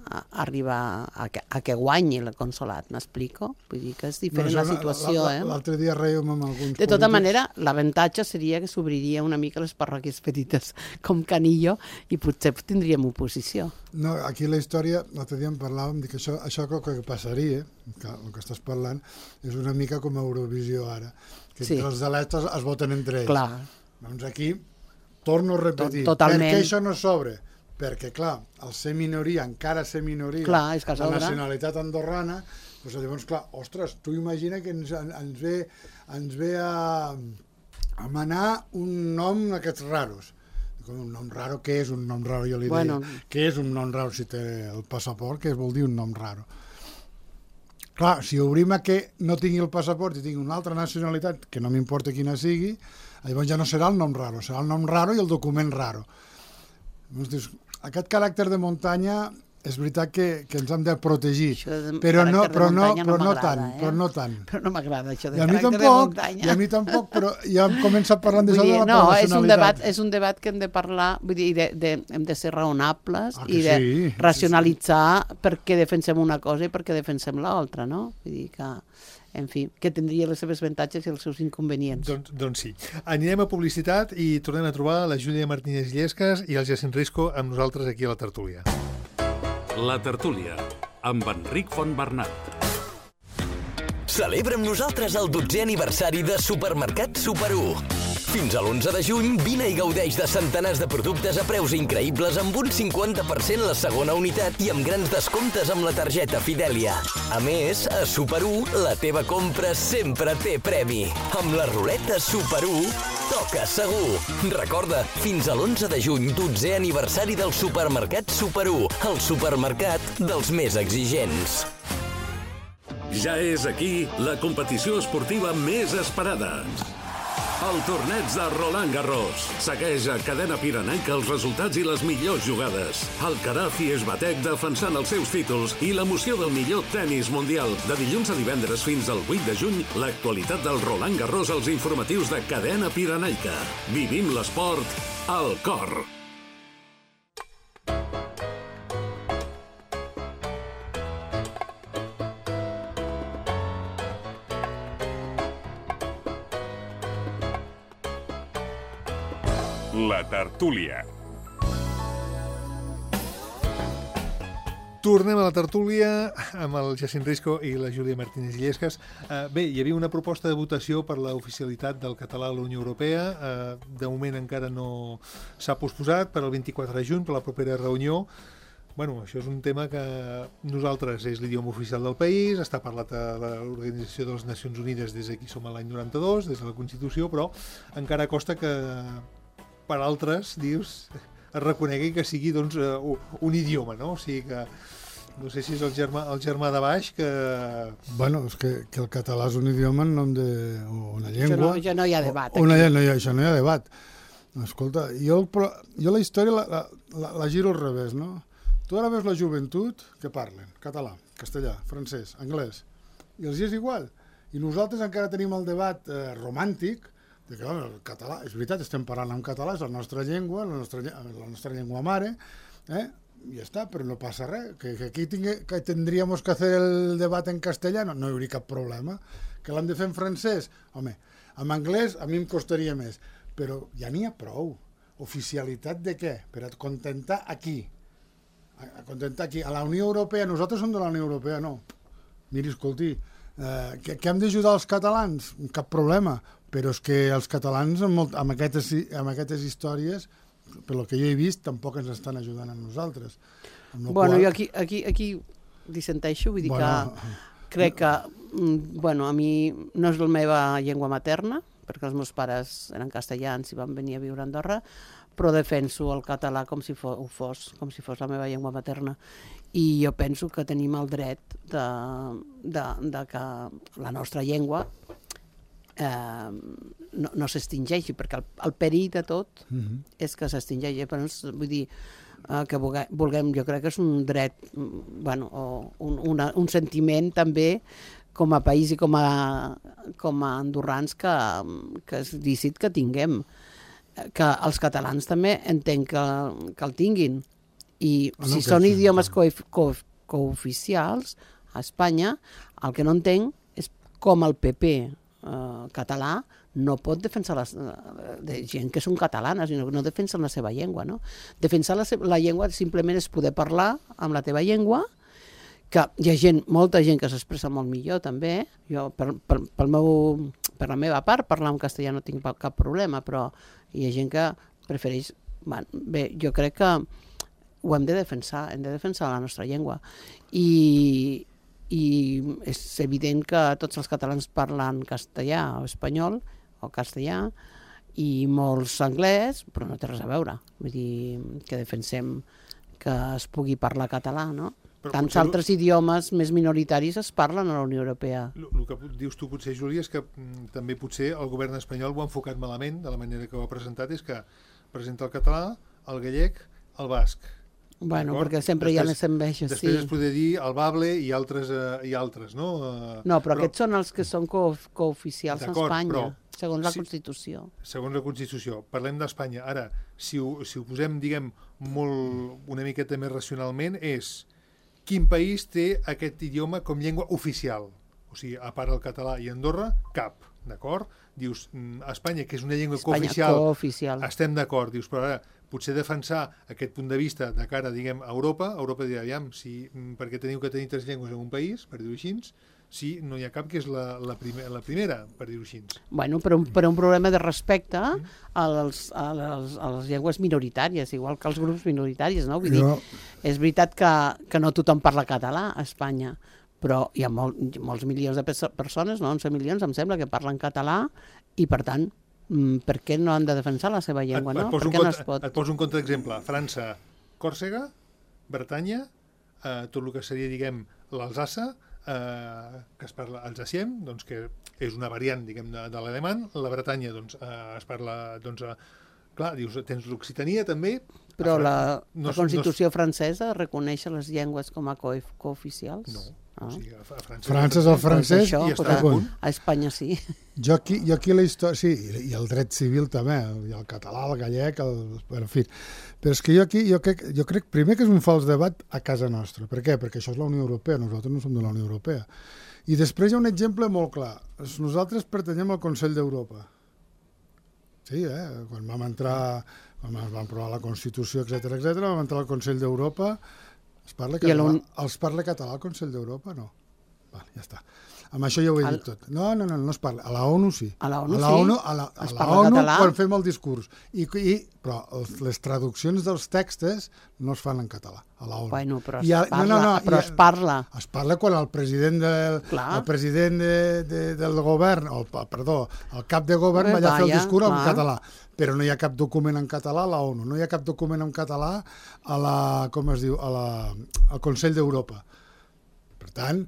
[SPEAKER 3] arribar a que guanyi el consolat, m'explico? Vull dir que és diferent la situació,
[SPEAKER 4] L'altre dia rèiem amb alguns polítics...
[SPEAKER 3] De tota manera, l'avantatge seria que s'obriria una mica les parròquies petites com Canillo i potser tindríem oposició.
[SPEAKER 4] No, aquí la història, l'altre dia en parlàvem, que això que passaria, que el que estàs parlant, és una mica com Eurovisió ara, que els electes es voten entre ells.
[SPEAKER 3] Clar.
[SPEAKER 4] Doncs aquí... Torno a repetir,
[SPEAKER 3] Totalment.
[SPEAKER 4] Per què això no s'obre? Perquè, clar, el ser minoria, encara ser minoria, la nacionalitat andorrana, doncs llavors, clar, ostres, tu imagina que ens ve a manar un nom d'aquests raros. Un nom raro, què és un nom raro? Jo li deia, què és un nom raro si té el passaport? Què vol dir un nom raro? Clar, si obrim a que no tingui el passaport i tingui una altra nacionalitat, que no m'importa quina sigui, llavors ja no serà el nom raro, serà el nom raro i el document raro. Aquest caràcter de muntanya és veritat que ens hem de protegir, però no tant. Però
[SPEAKER 3] no m'agrada això de caràcter de muntanya.
[SPEAKER 4] I a mi tampoc, però ja hem començat parlant d'això de la nacionalitat.
[SPEAKER 3] És un debat que hem de parlar, vull dir, hem de ser raonables i de racionalitzar per què defensem una cosa i per què defensem l'altra, no? Vull dir que... En fi, que tindria les seves avantatges i els seus inconvenients.
[SPEAKER 2] Doncs sí. Anirem a publicitat i tornem a trobar la Júlia Martínez Illescas i el Jacint Risco amb nosaltres aquí a la tertúlia.
[SPEAKER 1] La tertúlia, amb Enric Fontbernat.
[SPEAKER 5] Celebra amb nosaltres el 12è aniversari de Supermercat Super 1. Fins a l'11 de juny, vine i gaudeix de centenars de productes a preus increïbles amb un 50% la segona unitat i amb grans descomptes amb la targeta Fidelia. A més, a Super 1, la teva compra sempre té premi. Amb la ruleta Super 1, toca segur. Recorda, fins a l'11 de juny, 12è aniversari del Supermercat Super 1, el supermercat dels més exigents.
[SPEAKER 1] Ja és aquí la competició esportiva més esperada. El torneig de Roland Garros. Segueix a Cadena Pirenaica els resultats i les millors jugades. Alcaraz i Esbatec defensant els seus títols i l'emoció del millor tennis mundial. De dilluns a divendres fins al 8 de juny, l'actualitat del Roland Garros als informatius de Cadena Pirenaica. Vivim l'esport al cor.
[SPEAKER 6] La tertúlia.
[SPEAKER 2] Tornem a la tertúlia amb el Jacint Risco i la Júlia Martínez Illescas. Bé, hi havia una proposta de votació per l'oficialitat del català a la Unió Europea. De moment encara no s'ha posposat per al 24 de juny, per la propera reunió. Bueno, això és un tema que nosaltres és l'idioma oficial del país, està parlat a l'Organització de les Nacions Unides des d'aquí som a l'any 92, des de la Constitució, però encara costa que per altres, dius, es reconegui que sigui doncs, un idioma, no? O sigui que no sé si és el germà de baix que...
[SPEAKER 4] Bueno, és que el català és un idioma en nom d'una llengua...
[SPEAKER 3] Això no hi ha debat.
[SPEAKER 4] Això no hi ha debat. Escolta, jo la història la giro al revés, no? Tu ara veus la joventut que parlen català, castellà, francès, anglès, i els és igual. I nosaltres encara tenim el debat romàntic de que el català, és veritat, estem parlant en català, és la nostra llengua, la nostra llengua mare, i ja està, però no passa res. Que aquí tindríem que fer el debat en castellà, no hi hauria cap problema. Que l'hem de fer en francès? Home, en anglès a mi em costaria més, però ja n'hi ha prou. Oficialitat de què? Per a contentar a qui? A contentar aquí. A la Unió Europea, nosaltres som de la Unió Europea, no. Miri, escolti, que hem d'ajudar els catalans? Cap problema, però és que els catalans amb aquestes històries, pel que jo he vist, tampoc ens estan ajudant a nosaltres.
[SPEAKER 3] Bueno, jo aquí dissenteixo, vull dir que crec que, bueno, a mi no és la meva llengua materna, perquè els meus pares eren castellans i van venir a viure a Andorra, però defenso el català com si fos la meva llengua materna. I jo penso que tenim el dret de que la nostra llengua no s'extingeixi, perquè el perill de tot és que s'extingeixi. Vull dir, que vulguem, jo crec que és un dret, bueno, un sentiment també com a país i com a andorrans que és lícit que tinguem. Que els catalans també entenc que el tinguin. I si són idiomes cooficials a Espanya, el que no entenc és com el PP català no pot defensar de gent que són catalanes, sinó que no defensen la seva llengua. No? Defensar la llengua simplement és poder parlar amb la teva llengua, que hi ha molta gent que s'expressa molt millor també. Jo, per la meva part, parlar en castellà no tinc cap problema, però hi ha gent que prefereix... Bé, jo crec que ho hem de defensar la nostra llengua. I és evident que tots els catalans parlen castellà o espanyol o castellà i molts anglès, però no té res a veure. Vull dir que defensem que es pugui parlar català, no? Tants altres idiomes més minoritaris es parlen a la Unió Europea.
[SPEAKER 2] El que dius tu potser, Júlia, és que també potser el govern espanyol ho ha enfocat malament, de la manera que ho ha presentat, és que presenta el català, el gallec, el basc.
[SPEAKER 3] Bueno, perquè sempre hi ha les enveges, sí.
[SPEAKER 2] Després es podria dir el bable i altres, no?
[SPEAKER 3] No, però aquests són els que són cooficials a Espanya, segons la Constitució.
[SPEAKER 2] Segons la Constitució. Parlem d'Espanya. Ara, si ho posem, diguem, una miqueta més racionalment, és quin país té aquest idioma com llengua oficial? O sigui, a part del català i Andorra, cap, d'acord? Dius, Espanya, que és una llengua cooficial, estem d'acord. Dius, però ara, potser defensar aquest punt de vista de cara, diguem, a Europa dirà, aviam, perquè teniu que tenir 3 llengües en un país, per dir-ho així, si no hi ha cap que és la primera, per dir-ho així.
[SPEAKER 3] Bueno, per un problema de respecte a les llengües minoritàries, igual que els grups minoritaris, no? Vull dir, és veritat que no tothom parla català a Espanya, però hi ha molts milions de persones, no? 11 milions, em sembla, que parlen català i, per tant, per què no han de defensar la seva llengua, no? Per què no es pot?
[SPEAKER 2] Et poso un contraexemple. França, Còrsega, Bretanya, tot el que seria, diguem, l'Alsassa, que es parla alsacien, doncs, que és una variant, diguem, de l'alemany. La Bretanya, doncs, es parla, doncs, clar, dius, tens l'Occitania també.
[SPEAKER 3] Però la Constitució francesa reconeix les llengües com a cooficials?
[SPEAKER 2] No. O sigui, a
[SPEAKER 4] França és el francès
[SPEAKER 3] a Espanya sí.
[SPEAKER 4] Jo aquí la història, sí, i el dret civil també, i el català, el gallec, en fi. Però és que jo crec primer que és un fals debat a casa nostra. Per què? Perquè això és la Unió Europea, nosaltres no som de la Unió Europea. I després hi ha un exemple molt clar. Nosaltres pertanyem al Consell d'Europa. Sí, quan vam aprovar la Constitució, etc, vam entrar al Consell d'Europa. Es parla català al Consell d'Europa? No. Vale, ja està. Amb això ja ho he dit tot. No es parla. A la ONU sí.
[SPEAKER 3] A la ONU
[SPEAKER 4] sí. A la ONU quan fem el discurs. Però les traduccions dels textos no es fan en català, a la ONU.
[SPEAKER 3] Bueno, però es parla.
[SPEAKER 4] Es parla quan el president del govern, el cap de govern va allà a fer el discurs en català. Però no hi ha cap document en català a la ONU, no hi ha cap document en català al Consell d'Europa. Per tant,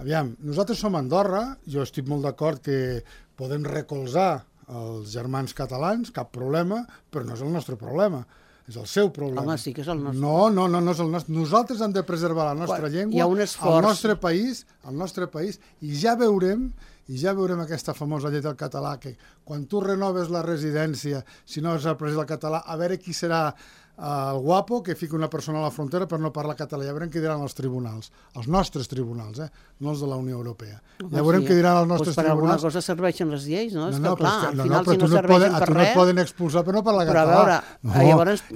[SPEAKER 4] aviam, nosaltres som Andorra, jo estic molt d'acord que podem recolzar els germans catalans, cap problema, però no és el nostre problema. És el seu problema.
[SPEAKER 3] Home, sí que és el nostre.
[SPEAKER 4] No és el nostre. Nosaltres hem de preservar la nostra llengua,
[SPEAKER 3] hi ha un esforç.
[SPEAKER 4] al nostre país, i ja veurem aquesta famosa llei del català, que quan tu renoves la residència, si no has après el català, a veure qui serà el guapo que fica una persona a la frontera per no parlar català. Ja veurem què diran els tribunals, els nostres tribunals, no els de la Unió Europea. Ja veurem què diran els nostres tribunals.
[SPEAKER 3] Per alguna cosa serveixen les lleis, no? És que clar, al final si no serveixen per res...
[SPEAKER 4] No et poden expulsar per no parlar català.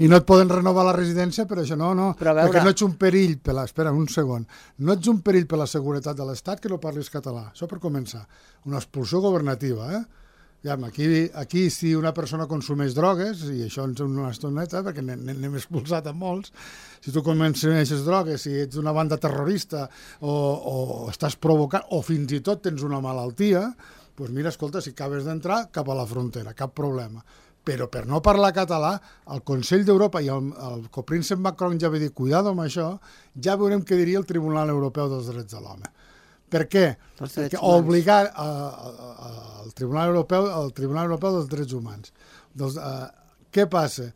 [SPEAKER 4] I no et poden renovar la residència per això, perquè no ets un perill per la... Espera, un segon. No ets un perill per la seguretat de l'Estat que no parlis català. Això per començar. Una expulsió governativa, Aquí, si una persona consumeix drogues, i això ens una estoneta, perquè n'hem expulsat a molts, si tu consumeixes drogues, si ets una banda terrorista o estàs provocant, o fins i tot tens una malaltia, doncs mira, escolta, si acabes d'entrar cap a la frontera, cap problema. Però per no parlar català, el Consell d'Europa i el copríncep Macron ja va dir, cuidado amb això, ja veurem què diria el Tribunal Europeu dels Drets de l'Home. Per què? Perquè obligar al Tribunal Europeu dels Drets Humans. Què passa?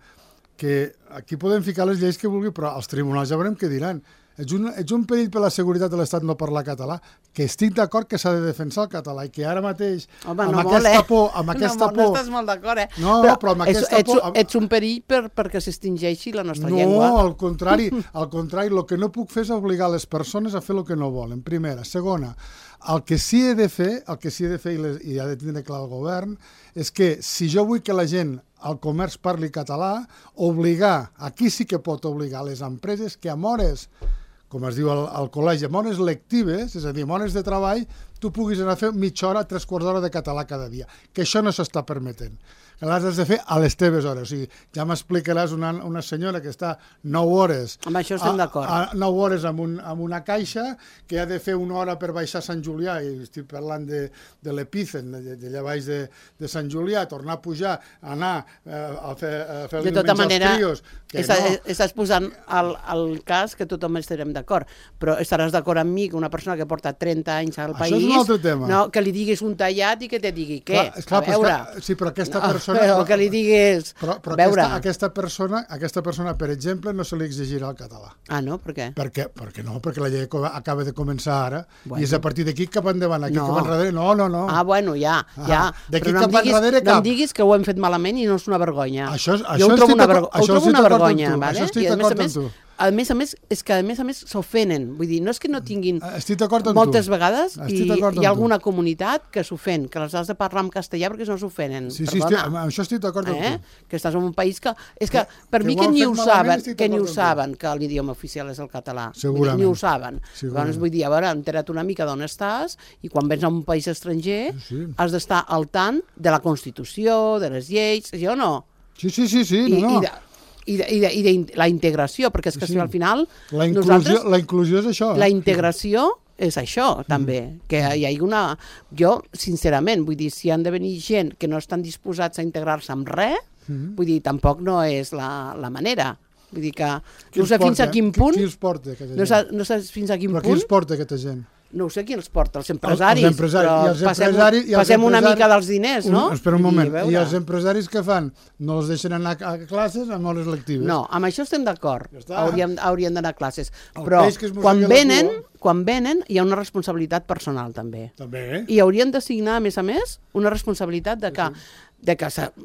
[SPEAKER 4] Que aquí podem ficar les lleis que vulgui, però els tribunals ja veurem què diran. Ets un perill per la seguretat de l'Estat no parlar català, que estic d'acord que s'ha de defensar el català i que ara mateix, amb aquesta por...
[SPEAKER 3] No estàs molt d'acord,
[SPEAKER 4] No, però amb aquesta por...
[SPEAKER 3] Ets un perill perquè s'extingeixi la nostra llengua.
[SPEAKER 4] No, al contrari, el que no puc fer és obligar les persones a fer el que no volen, primera. Segona, el que sí he de fer, i ha de tindre clar el govern, és que si jo vull que la gent al comerç parli català, aquí sí que pot obligar les empreses que amb hores, com es diu al col·legi, amb hores lectives, és a dir, amb hores de treball, tu puguis anar a fer mitja hora, 3/4 d'hora de català cada dia, que això no s'està permetent. Que l'has de fer a les teves hores. O sigui, ja m'explicaràs una senyora que està 9 hores...
[SPEAKER 3] Amb això estem d'acord.
[SPEAKER 4] 9 hores amb una caixa, que ha de fer 1 hora per baixar a Sant Julià, i estic parlant de l'Epícen, d'allà baix de Sant Julià, tornar a pujar, anar a fer el diumenge als trios...
[SPEAKER 3] Estàs posant el cas que tothom estarem d'acord, però estaràs d'acord amb mi que una persona que porta 30 anys al país...
[SPEAKER 4] Això és un altre tema.
[SPEAKER 3] Que li diguis un tallat i que te digui què?
[SPEAKER 4] A veure... Sí, però aquesta persona...
[SPEAKER 3] Però que li diguis...
[SPEAKER 4] Però aquesta persona, per exemple, no se li exigirà el català.
[SPEAKER 3] Ah, no? Per què?
[SPEAKER 4] Perquè la llei acaba de començar ara, i és a partir d'aquí cap endavant, aquí cap enrere, no.
[SPEAKER 3] Ah, bueno, ja.
[SPEAKER 4] D'aquí cap enrere cap.
[SPEAKER 3] No em diguis que ho hem fet malament i no és una vergonya.
[SPEAKER 4] Jo ho trobo una vergonya.
[SPEAKER 3] Això estic d'acord amb tu. A més, és que a més s'ofenen. Vull dir, no és que no tinguin...
[SPEAKER 4] Estic d'acord amb tu.
[SPEAKER 3] Moltes vegades hi ha alguna comunitat que s'ofèn, que les has de parlar en castellà perquè no s'ofenen.
[SPEAKER 4] Sí, això estic d'acord amb tu.
[SPEAKER 3] Que estàs en un país que... És que per mi que ni ho saben que l'idioma oficial és el català.
[SPEAKER 4] Segurament.
[SPEAKER 3] Ni ho saben. Llavors, vull dir, a veure, entera't una mica d'on estàs i quan vens a un país estranger has d'estar al tant de la Constitució, de les lleis, sí o no?
[SPEAKER 4] Sí, no.
[SPEAKER 3] I de la integració, perquè és que si al final...
[SPEAKER 4] La inclusió és això.
[SPEAKER 3] La integració és això, també. Que hi hagi una... Jo, sincerament, vull dir, si han de venir gent que no estan disposats a integrar-se amb res, vull dir, tampoc no és la manera. Vull dir que no sé fins a quin punt...
[SPEAKER 4] Qui els porta, aquesta gent?
[SPEAKER 3] No sé fins a quin punt...
[SPEAKER 4] Però qui els porta, aquesta gent?
[SPEAKER 3] No ho sé qui els porta, els empresaris, però
[SPEAKER 4] passem
[SPEAKER 3] una mica dels diners, no?
[SPEAKER 4] Espera un moment, i els empresaris què fan? No els deixen anar a classes amb hores lectives?
[SPEAKER 3] No, amb això estem d'acord, haurien d'anar a classes, però quan venen hi ha una responsabilitat personal també. I haurien d'assignar, a més, una responsabilitat de que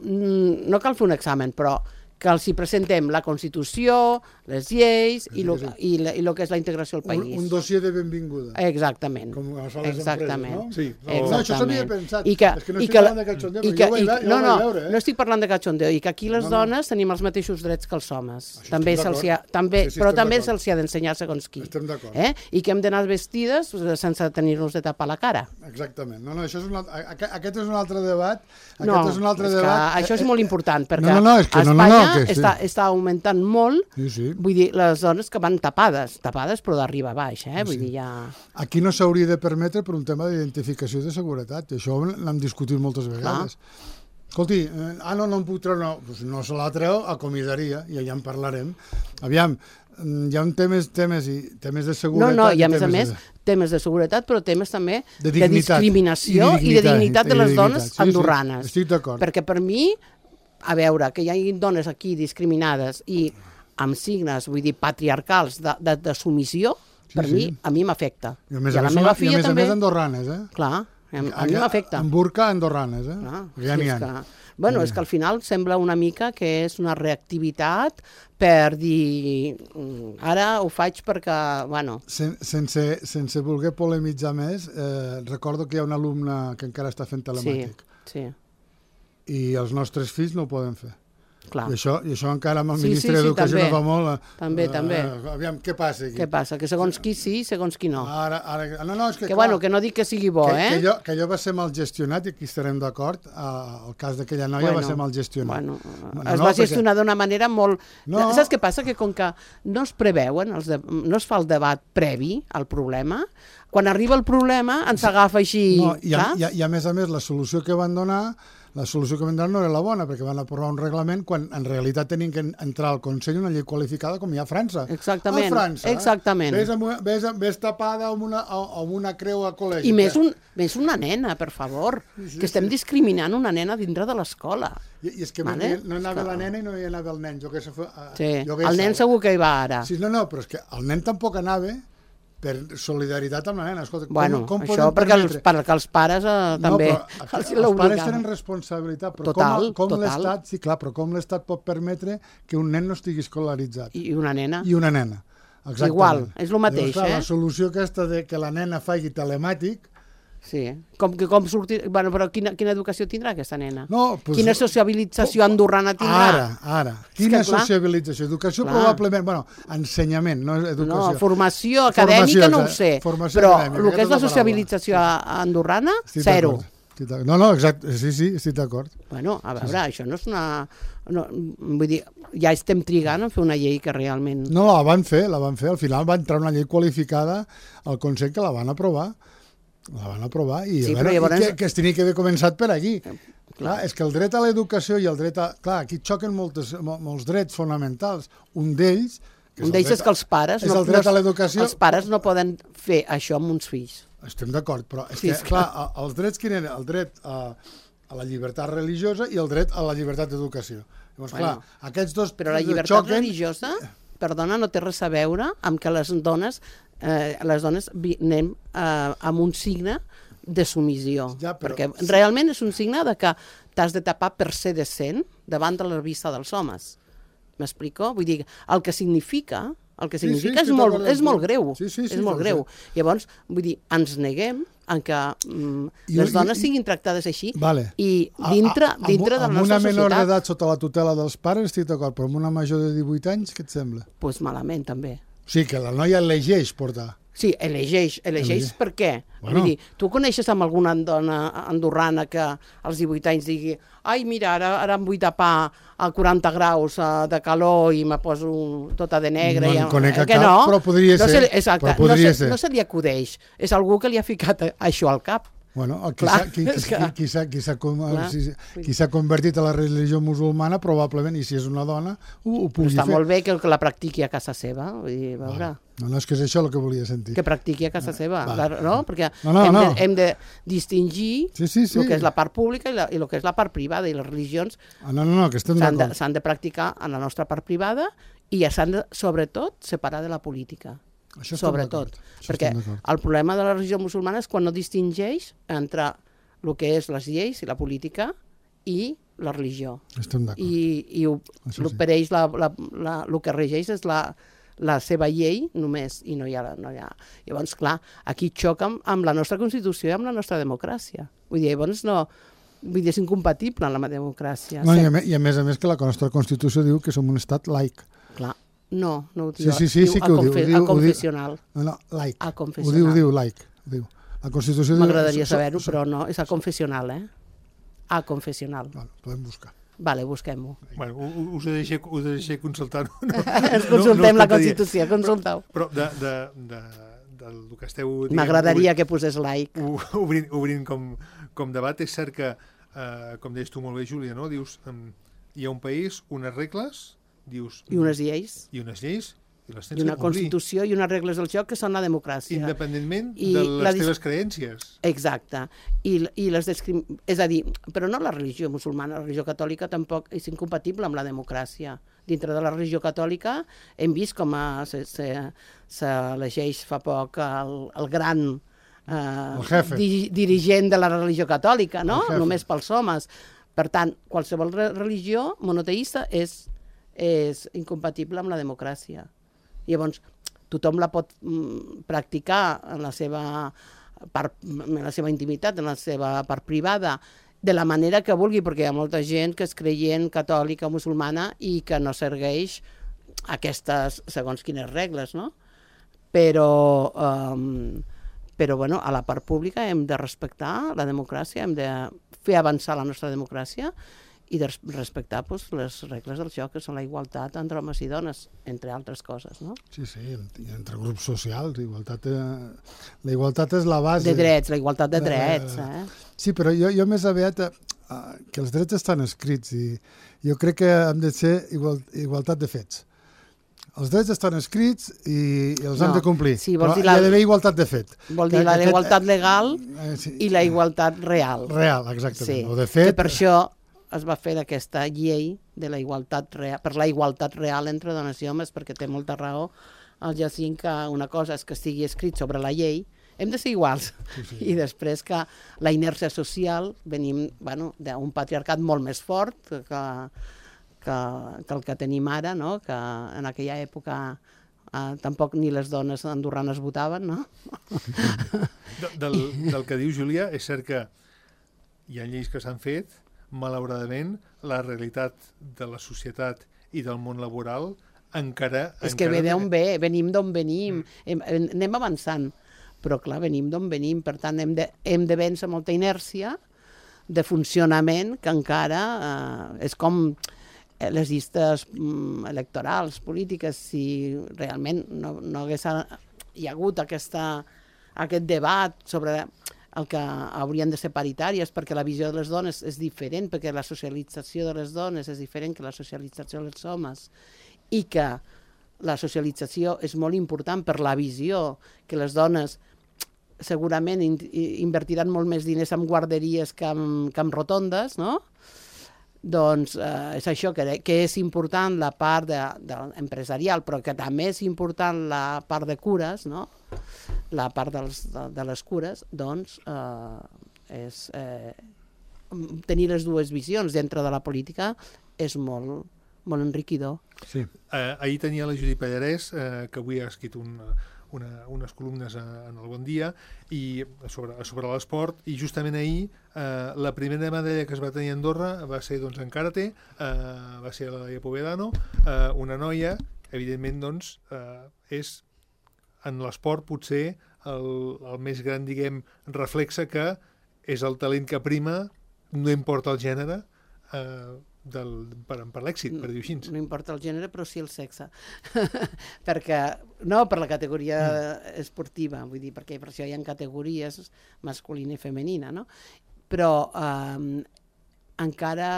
[SPEAKER 3] no cal fer un examen, però que els hi presentem la Constitució, les lleis i el que és la integració al país.
[SPEAKER 4] Un dossier de benvinguda.
[SPEAKER 3] Exactament.
[SPEAKER 4] Com es fa les empreses, no? Sí.
[SPEAKER 3] No,
[SPEAKER 4] això s'havia pensat. És que no estic parlant de cachondeo,
[SPEAKER 3] no estic parlant de cachondeo, i que aquí les dones tenim els mateixos drets que els homes. Però també se'ls ha d'ensenyar segons qui.
[SPEAKER 4] Estem d'acord.
[SPEAKER 3] I que hem d'anar vestides sense tenir-nos de tapar la cara.
[SPEAKER 4] Exactament. No, aquest és un altre debat.
[SPEAKER 3] Això és molt important, perquè a Espanya està augmentant molt, vull dir, les dones que van tapades però d'arriba a baix, vull dir, ja...
[SPEAKER 4] Aquí no s'hauria de permetre per un tema d'identificació i de seguretat, i això l'hem discutit moltes vegades. Escolti, no em puc treure, no se la treu a comissaria, i ja en parlarem. Aviam, hi ha temes de seguretat...
[SPEAKER 3] I a més, temes de seguretat, però temes també
[SPEAKER 4] De
[SPEAKER 3] de
[SPEAKER 4] dignitat.
[SPEAKER 3] discriminació i de dignitat de les dones andorranes.
[SPEAKER 4] Estic d'acord.
[SPEAKER 3] Perquè per mi, a veure, que hi hagi dones aquí discriminades i amb signes, vull dir, patriarcals de submissió, per mi, a mi m'afecta.
[SPEAKER 4] I a més
[SPEAKER 3] I
[SPEAKER 4] a
[SPEAKER 3] la
[SPEAKER 4] més,
[SPEAKER 3] meva filla també.
[SPEAKER 4] a més andorranes,
[SPEAKER 3] Clar, a mi m'afecta.
[SPEAKER 4] En burca andorranes,
[SPEAKER 3] Clar,
[SPEAKER 4] ja n'hi ha.
[SPEAKER 3] Bueno, és que al final sembla una mica que és una reactivitat per dir ara ho faig perquè, bueno...
[SPEAKER 4] Sense voler polemitzar més, recordo que hi ha un alumne que encara està fent telemàtic.
[SPEAKER 3] Sí.
[SPEAKER 4] I els nostres fills no ho poden fer.
[SPEAKER 3] Clar.
[SPEAKER 4] I això encara amb el ministre d'Educació no fa molt.
[SPEAKER 3] També.
[SPEAKER 4] Aviam, què passa aquí?
[SPEAKER 3] Què passa? Que segons qui sí, segons qui no.
[SPEAKER 4] No, és que
[SPEAKER 3] bueno, que no dic que sigui bo,
[SPEAKER 4] que allò va ser mal gestionat, i aquí estarem d'acord, el cas d'aquella noia va ser mal gestionat.
[SPEAKER 3] Es va gestionar d'una manera molt... Saps què passa? Que com que no es preveuen, no es fa el debat previ al problema, quan arriba el problema ens agafa així, saps?
[SPEAKER 4] I a més, la solució que van donar no era la bona, perquè van aprovar un reglament quan en realitat tenien que entrar al Consell una llei qualificada com hi ha a França.
[SPEAKER 3] Exactament.
[SPEAKER 4] A França,
[SPEAKER 3] exactament.
[SPEAKER 4] Ves tapada amb una creu a col·legi.
[SPEAKER 3] I més una nena, per favor, que estem discriminant una nena dintre de l'escola.
[SPEAKER 4] I és que no anava la nena i no hi anava el nen.
[SPEAKER 3] El nen segur que hi va ara.
[SPEAKER 4] Sí, no, però és que el nen tampoc anava per solidaritat amb la nena. Escolta,
[SPEAKER 3] bueno, això perquè els pares també
[SPEAKER 4] els pares tenen responsabilitat, però com l'Estat, sí, clar, però com l'Estat pot permetre que un nen no estigui escolaritzat?
[SPEAKER 3] I una nena.
[SPEAKER 4] Exactament.
[SPEAKER 3] Igual, és el mateix.
[SPEAKER 4] Llavors, clar, la solució aquesta de que la nena faci telemàtic...
[SPEAKER 3] Sí, com sortir... Bueno, però quina educació tindrà aquesta nena?
[SPEAKER 4] Quina
[SPEAKER 3] sociabilització andorrana tindrà?
[SPEAKER 4] Ara. Quina sociabilització? Educació probablement... Bueno, ensenyament, no educació.
[SPEAKER 3] No, formació acadèmica no ho sé, però el que és la sociabilització andorrana, zero.
[SPEAKER 4] No, exacte, sí, estic d'acord.
[SPEAKER 3] Bueno, a veure, això no és una... Vull dir, ja estem trigant a fer una llei que realment...
[SPEAKER 4] No, la van fer, al final va entrar una llei qualificada al Consell que la van aprovar. I que es tenia que haver començat per aquí. Clar, és que el dret a l'educació i el dret a... Clar, aquí xoquen molts drets fonamentals. Un d'ells
[SPEAKER 3] és que els pares...
[SPEAKER 4] És el dret a l'educació...
[SPEAKER 3] Els pares no poden fer això amb uns fills.
[SPEAKER 4] Estem d'acord, però és que, clar, els drets quin eren? El dret a la llibertat religiosa i el dret a la llibertat d'educació. Llavors, clar, aquests dos...
[SPEAKER 3] Però la llibertat religiosa, perdona, no té res a veure amb que les dones anem amb un signe de submissió, perquè realment és un signe de que t'has de tapar per ser decent davant de la vista dels homes. M'explico? Vull dir, el que significa és molt greu. És molt greu. Llavors, vull dir, ens neguem en que les dones siguin tractades així i dintre de la nostra societat.
[SPEAKER 4] Amb una menor d'edat sota la tutela dels pares estic d'acord, però amb una major de 18 anys, què et sembla?
[SPEAKER 3] Doncs malament, també.
[SPEAKER 4] O sigui, que la noia elegeix portar.
[SPEAKER 3] Sí, elegeix per què? Vull dir, tu coneixes amb alguna dona andorrana que als 18 anys digui ai, mira, ara em vull tapar a 40 graus de calor i me poso tota de negre.
[SPEAKER 4] No en conec cap, però podria ser.
[SPEAKER 3] Exacte, no se li acudeix. És algú que li ha ficat això al cap.
[SPEAKER 4] Bueno, qui s'ha convertit a la religió musulmana probablement, i si és una dona, ho pugui fer.
[SPEAKER 3] Està molt bé que la practiqui a casa seva. Vull dir, veure.
[SPEAKER 4] No, és que és això el que volia sentir.
[SPEAKER 3] Que practiqui a casa seva, no? Perquè hem de distingir el que és la part pública i el que és la part privada, i les religions s'han de practicar en la nostra part privada i s'han de, sobretot, separar de la política. Sobretot, perquè el problema de la religió musulmana és quan no distingeix entre el que és les lleis i la política i la religió.
[SPEAKER 4] Estem d'acord.
[SPEAKER 3] I per ells el que regeix és la seva llei només, i no hi ha... Llavors, clar, aquí xoca amb la nostra Constitució i amb la nostra democràcia. Vull dir, llavors és incompatible amb la democràcia.
[SPEAKER 4] I a més que la nostra Constitució diu que som un estat laic.
[SPEAKER 3] Clar. No ho diu.
[SPEAKER 4] Sí que ho diu.
[SPEAKER 3] A confessional.
[SPEAKER 4] No, laic.
[SPEAKER 3] A confessional.
[SPEAKER 4] Ho diu laic. La Constitució diu...
[SPEAKER 3] M'agradaria saber-ho, però no, és a confessional, A confessional.
[SPEAKER 4] Podem buscar.
[SPEAKER 3] Vale, busquem-ho.
[SPEAKER 2] Bueno, us he deixat consultar-ho.
[SPEAKER 3] Ens consultem la Constitució, consulteu.
[SPEAKER 2] Però del que esteu...
[SPEAKER 3] M'agradaria que posés laic.
[SPEAKER 2] Obrint com debat, és cert que, com deies tu molt bé, Júlia, no? Dius, hi ha un país, unes regles... Dius,
[SPEAKER 3] I unes lleis. I una Constitució i unes regles del joc que són la democràcia.
[SPEAKER 2] Independentment de les teves creències.
[SPEAKER 3] Exacte. És a dir, però no la religió musulmana, la religió catòlica tampoc és incompatible amb la democràcia. Dintre de la religió catòlica hem vist com s'elegeix fa poc el gran dirigent de la religió catòlica, no? Només pels homes. Per tant, qualsevol religió monoteïsta és incompatible amb la democràcia. Llavors, tothom la pot practicar en la seva intimitat, en la seva part privada, de la manera que vulgui, perquè hi ha molta gent que és creient catòlica o musulmana i que no segueix aquestes segons quines regles, no? Però bueno, a la part pública hem de respectar la democràcia, hem de fer avançar la nostra democràcia i de respectar les regles del joc, que són la igualtat entre homes i dones, entre altres coses, no?
[SPEAKER 4] Sí, i entre grups socials, la igualtat és la base.
[SPEAKER 3] De drets, la igualtat de drets,
[SPEAKER 4] Sí, però jo més aviat que els drets estan escrits i jo crec que hem de ser igualtat de fets. Els drets estan escrits i els hem de complir, però hi ha d'haver igualtat de fet.
[SPEAKER 3] Vol dir la igualtat legal i la igualtat real.
[SPEAKER 4] Real, exactament.
[SPEAKER 3] O de fet, que per això es va fer aquesta llei de la igualtat real, per la igualtat real entre dones i homes, perquè té molta raó el Jacint que una cosa és que estigui escrit sobre la llei, hem de ser iguals, i després que la inèrcia social venim d'un patriarcat molt més fort que el que tenim ara, no? Que en aquella època tampoc ni les dones andorranes votaven, no?
[SPEAKER 2] Del que diu Júlia, és cert que hi ha lleis que s'han fet, malauradament, la realitat de la societat i del món laboral encara...
[SPEAKER 3] És que ve d'on ve, venim d'on venim, anem avançant, però clar, venim d'on venim, per tant hem de vèncer molta inèrcia de funcionament que encara és com les llistes electorals, polítiques, si realment no hagués hi ha hagut aquest debat sobre el que haurien de ser paritàries, perquè la visió de les dones és diferent, perquè la socialització de les dones és diferent que la socialització dels homes, i que la socialització és molt important per la visió, que les dones segurament invertiran molt més diners en guarderies que en rotondes, no? Doncs és això, que és important la part empresarial, però que també és important la part de cures, no? La part de les cures, doncs tenir les dues visions dintre de la política és molt, molt enriquidor.
[SPEAKER 2] Sí. Ahir tenia la Judit Pallarès, que avui ha escrit unes columnes en el Bon Dia i sobre l'esport, i justament ahir la primera medalla que es va tenir a Andorra va ser en karate, va ser la de Povedano, una noia, evidentment doncs és en l'esport potser el més gran, diguem, reflexe que és el talent que prima, no importa el gènere, per l'èxit, per dir-ho així.
[SPEAKER 3] No importa el gènere, però sí el sexe. No per la categoria esportiva, vull dir, perquè per això hi ha categories masculina i femenina, no? Però encara,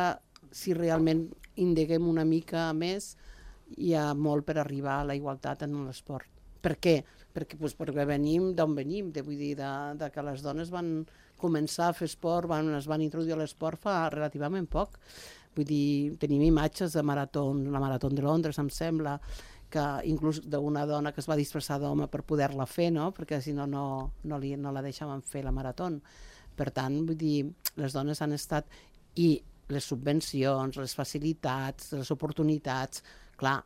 [SPEAKER 3] si realment indaguem una mica més, hi ha molt per arribar a la igualtat en l'esport. Per què? Perquè venim d'on venim, vull dir, que les dones van començar a fer esport, es van introduir a l'esport fa relativament poc. Vull dir, tenim imatges de maratons, la Marató de Londres, em sembla, que inclús d'una dona que es va disfressar d'home per poder-la fer, no? Perquè si no la deixaven fer la marató. Per tant, vull dir, les dones han estat... I les subvencions, les facilitats, les oportunitats, clar,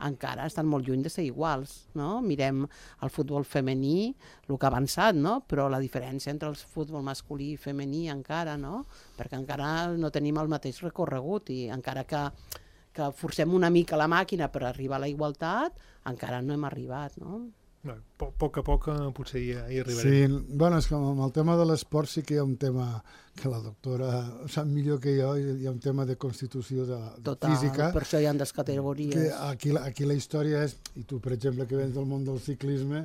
[SPEAKER 3] encara estan molt lluny de ser iguals, no? Mirem el futbol femení, el que ha avançat, no? Però la diferència entre el futbol masculí i femení encara, no? Perquè encara no tenim el mateix recorregut i encara que forcem una mica la màquina per arribar a la igualtat, encara no hem arribat, no?
[SPEAKER 2] A poc a poc potser hi arribarem.
[SPEAKER 4] Sí, bueno, és que amb el tema de l'esport sí que hi ha un tema que la doctora sap millor que jo, hi ha un tema de constitució de física.
[SPEAKER 3] Total, per això hi ha des categories.
[SPEAKER 4] Aquí la història és, i tu per exemple que vens del món del ciclisme,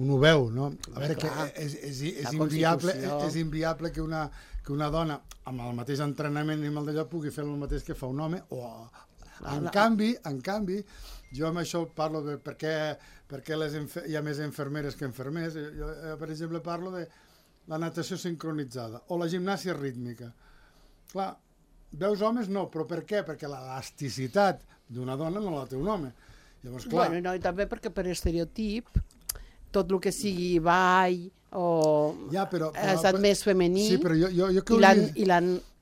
[SPEAKER 4] un ho veu, no? A veure, que és inviable que una dona amb el mateix entrenament i amb el d'allò pugui fer el mateix que fa un home, o en canvi, Jo amb això parlo de per què hi ha més infermeres que infermers. Jo, per exemple, parlo de la natació sincronitzada o la gimnàsia rítmica. Clar, veus homes no, però per què? Perquè l'elasticitat d'una dona no la té un home. Llavors, clar...
[SPEAKER 3] Bueno, no, i també perquè per estereotip tot el que sigui ball o ha estat més femení,
[SPEAKER 4] sí, però
[SPEAKER 3] i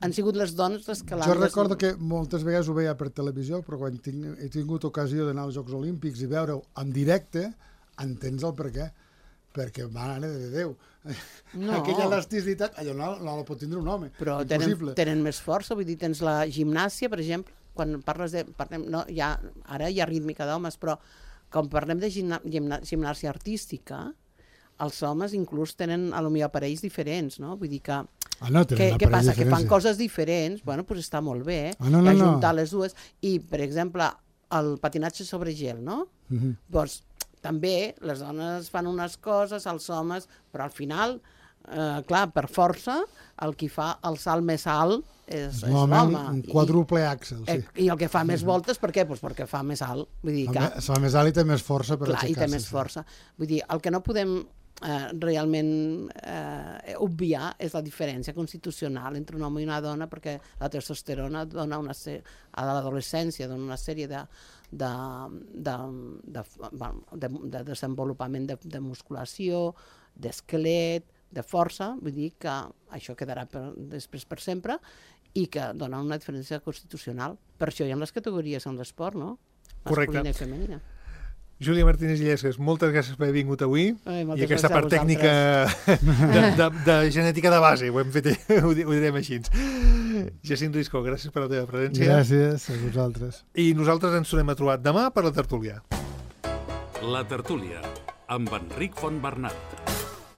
[SPEAKER 3] han sigut les dones les que l'han...
[SPEAKER 4] Jo recordo que moltes vegades ho veia per televisió, però quan he tingut ocasió d'anar als Jocs Olímpics i veure-ho en directe, entens el per què. Perquè, mare de Déu, aquella elasticitat, allò no la pot tindre un home.
[SPEAKER 3] Però tenen més força, vull dir, tens la gimnàsia, per exemple, quan parles de... Ara hi ha rítmica d'homes, però quan parlem de gimnàsia artística, els homes inclús tenen potser aparells diferents, no? Vull dir que... Què passa? Que fan coses diferents, bueno, doncs està molt bé, ajuntar les dues. I, per exemple, el patinatge sobre gel, no? Doncs també les dones fan unes coses, els homes, però al final, clar, per força, el qui fa el salt més alt és l'home.
[SPEAKER 4] Un quadruple àxel, sí.
[SPEAKER 3] I el que fa més voltes, per què? Doncs perquè fa més alt. Vull dir que...
[SPEAKER 4] Fa més alt i té més força per
[SPEAKER 3] aixecar-se. Clar, i té més força. Vull dir, el que no podem realment obviar és la diferència constitucional entre un home i una dona, perquè la testosterona dona a l'adolescència dona una sèrie de desenvolupament de musculació, d'esquelet, de força, vull dir que això quedarà després per sempre i que dona una diferència constitucional. Per això hi ha les categories en l'esport, no? Masculina i femenina.
[SPEAKER 2] Júlia Martínez Illescas, moltes gràcies per haver vingut avui i aquesta part tècnica de genètica de base, ho hem fet, ho direm així. Jacint Risco, gràcies per la teva presència.
[SPEAKER 4] Gràcies a vosaltres.
[SPEAKER 2] I nosaltres ens tornem a trobar demà per la tertúlia.
[SPEAKER 1] La tertúlia, amb Enric Fontbernat.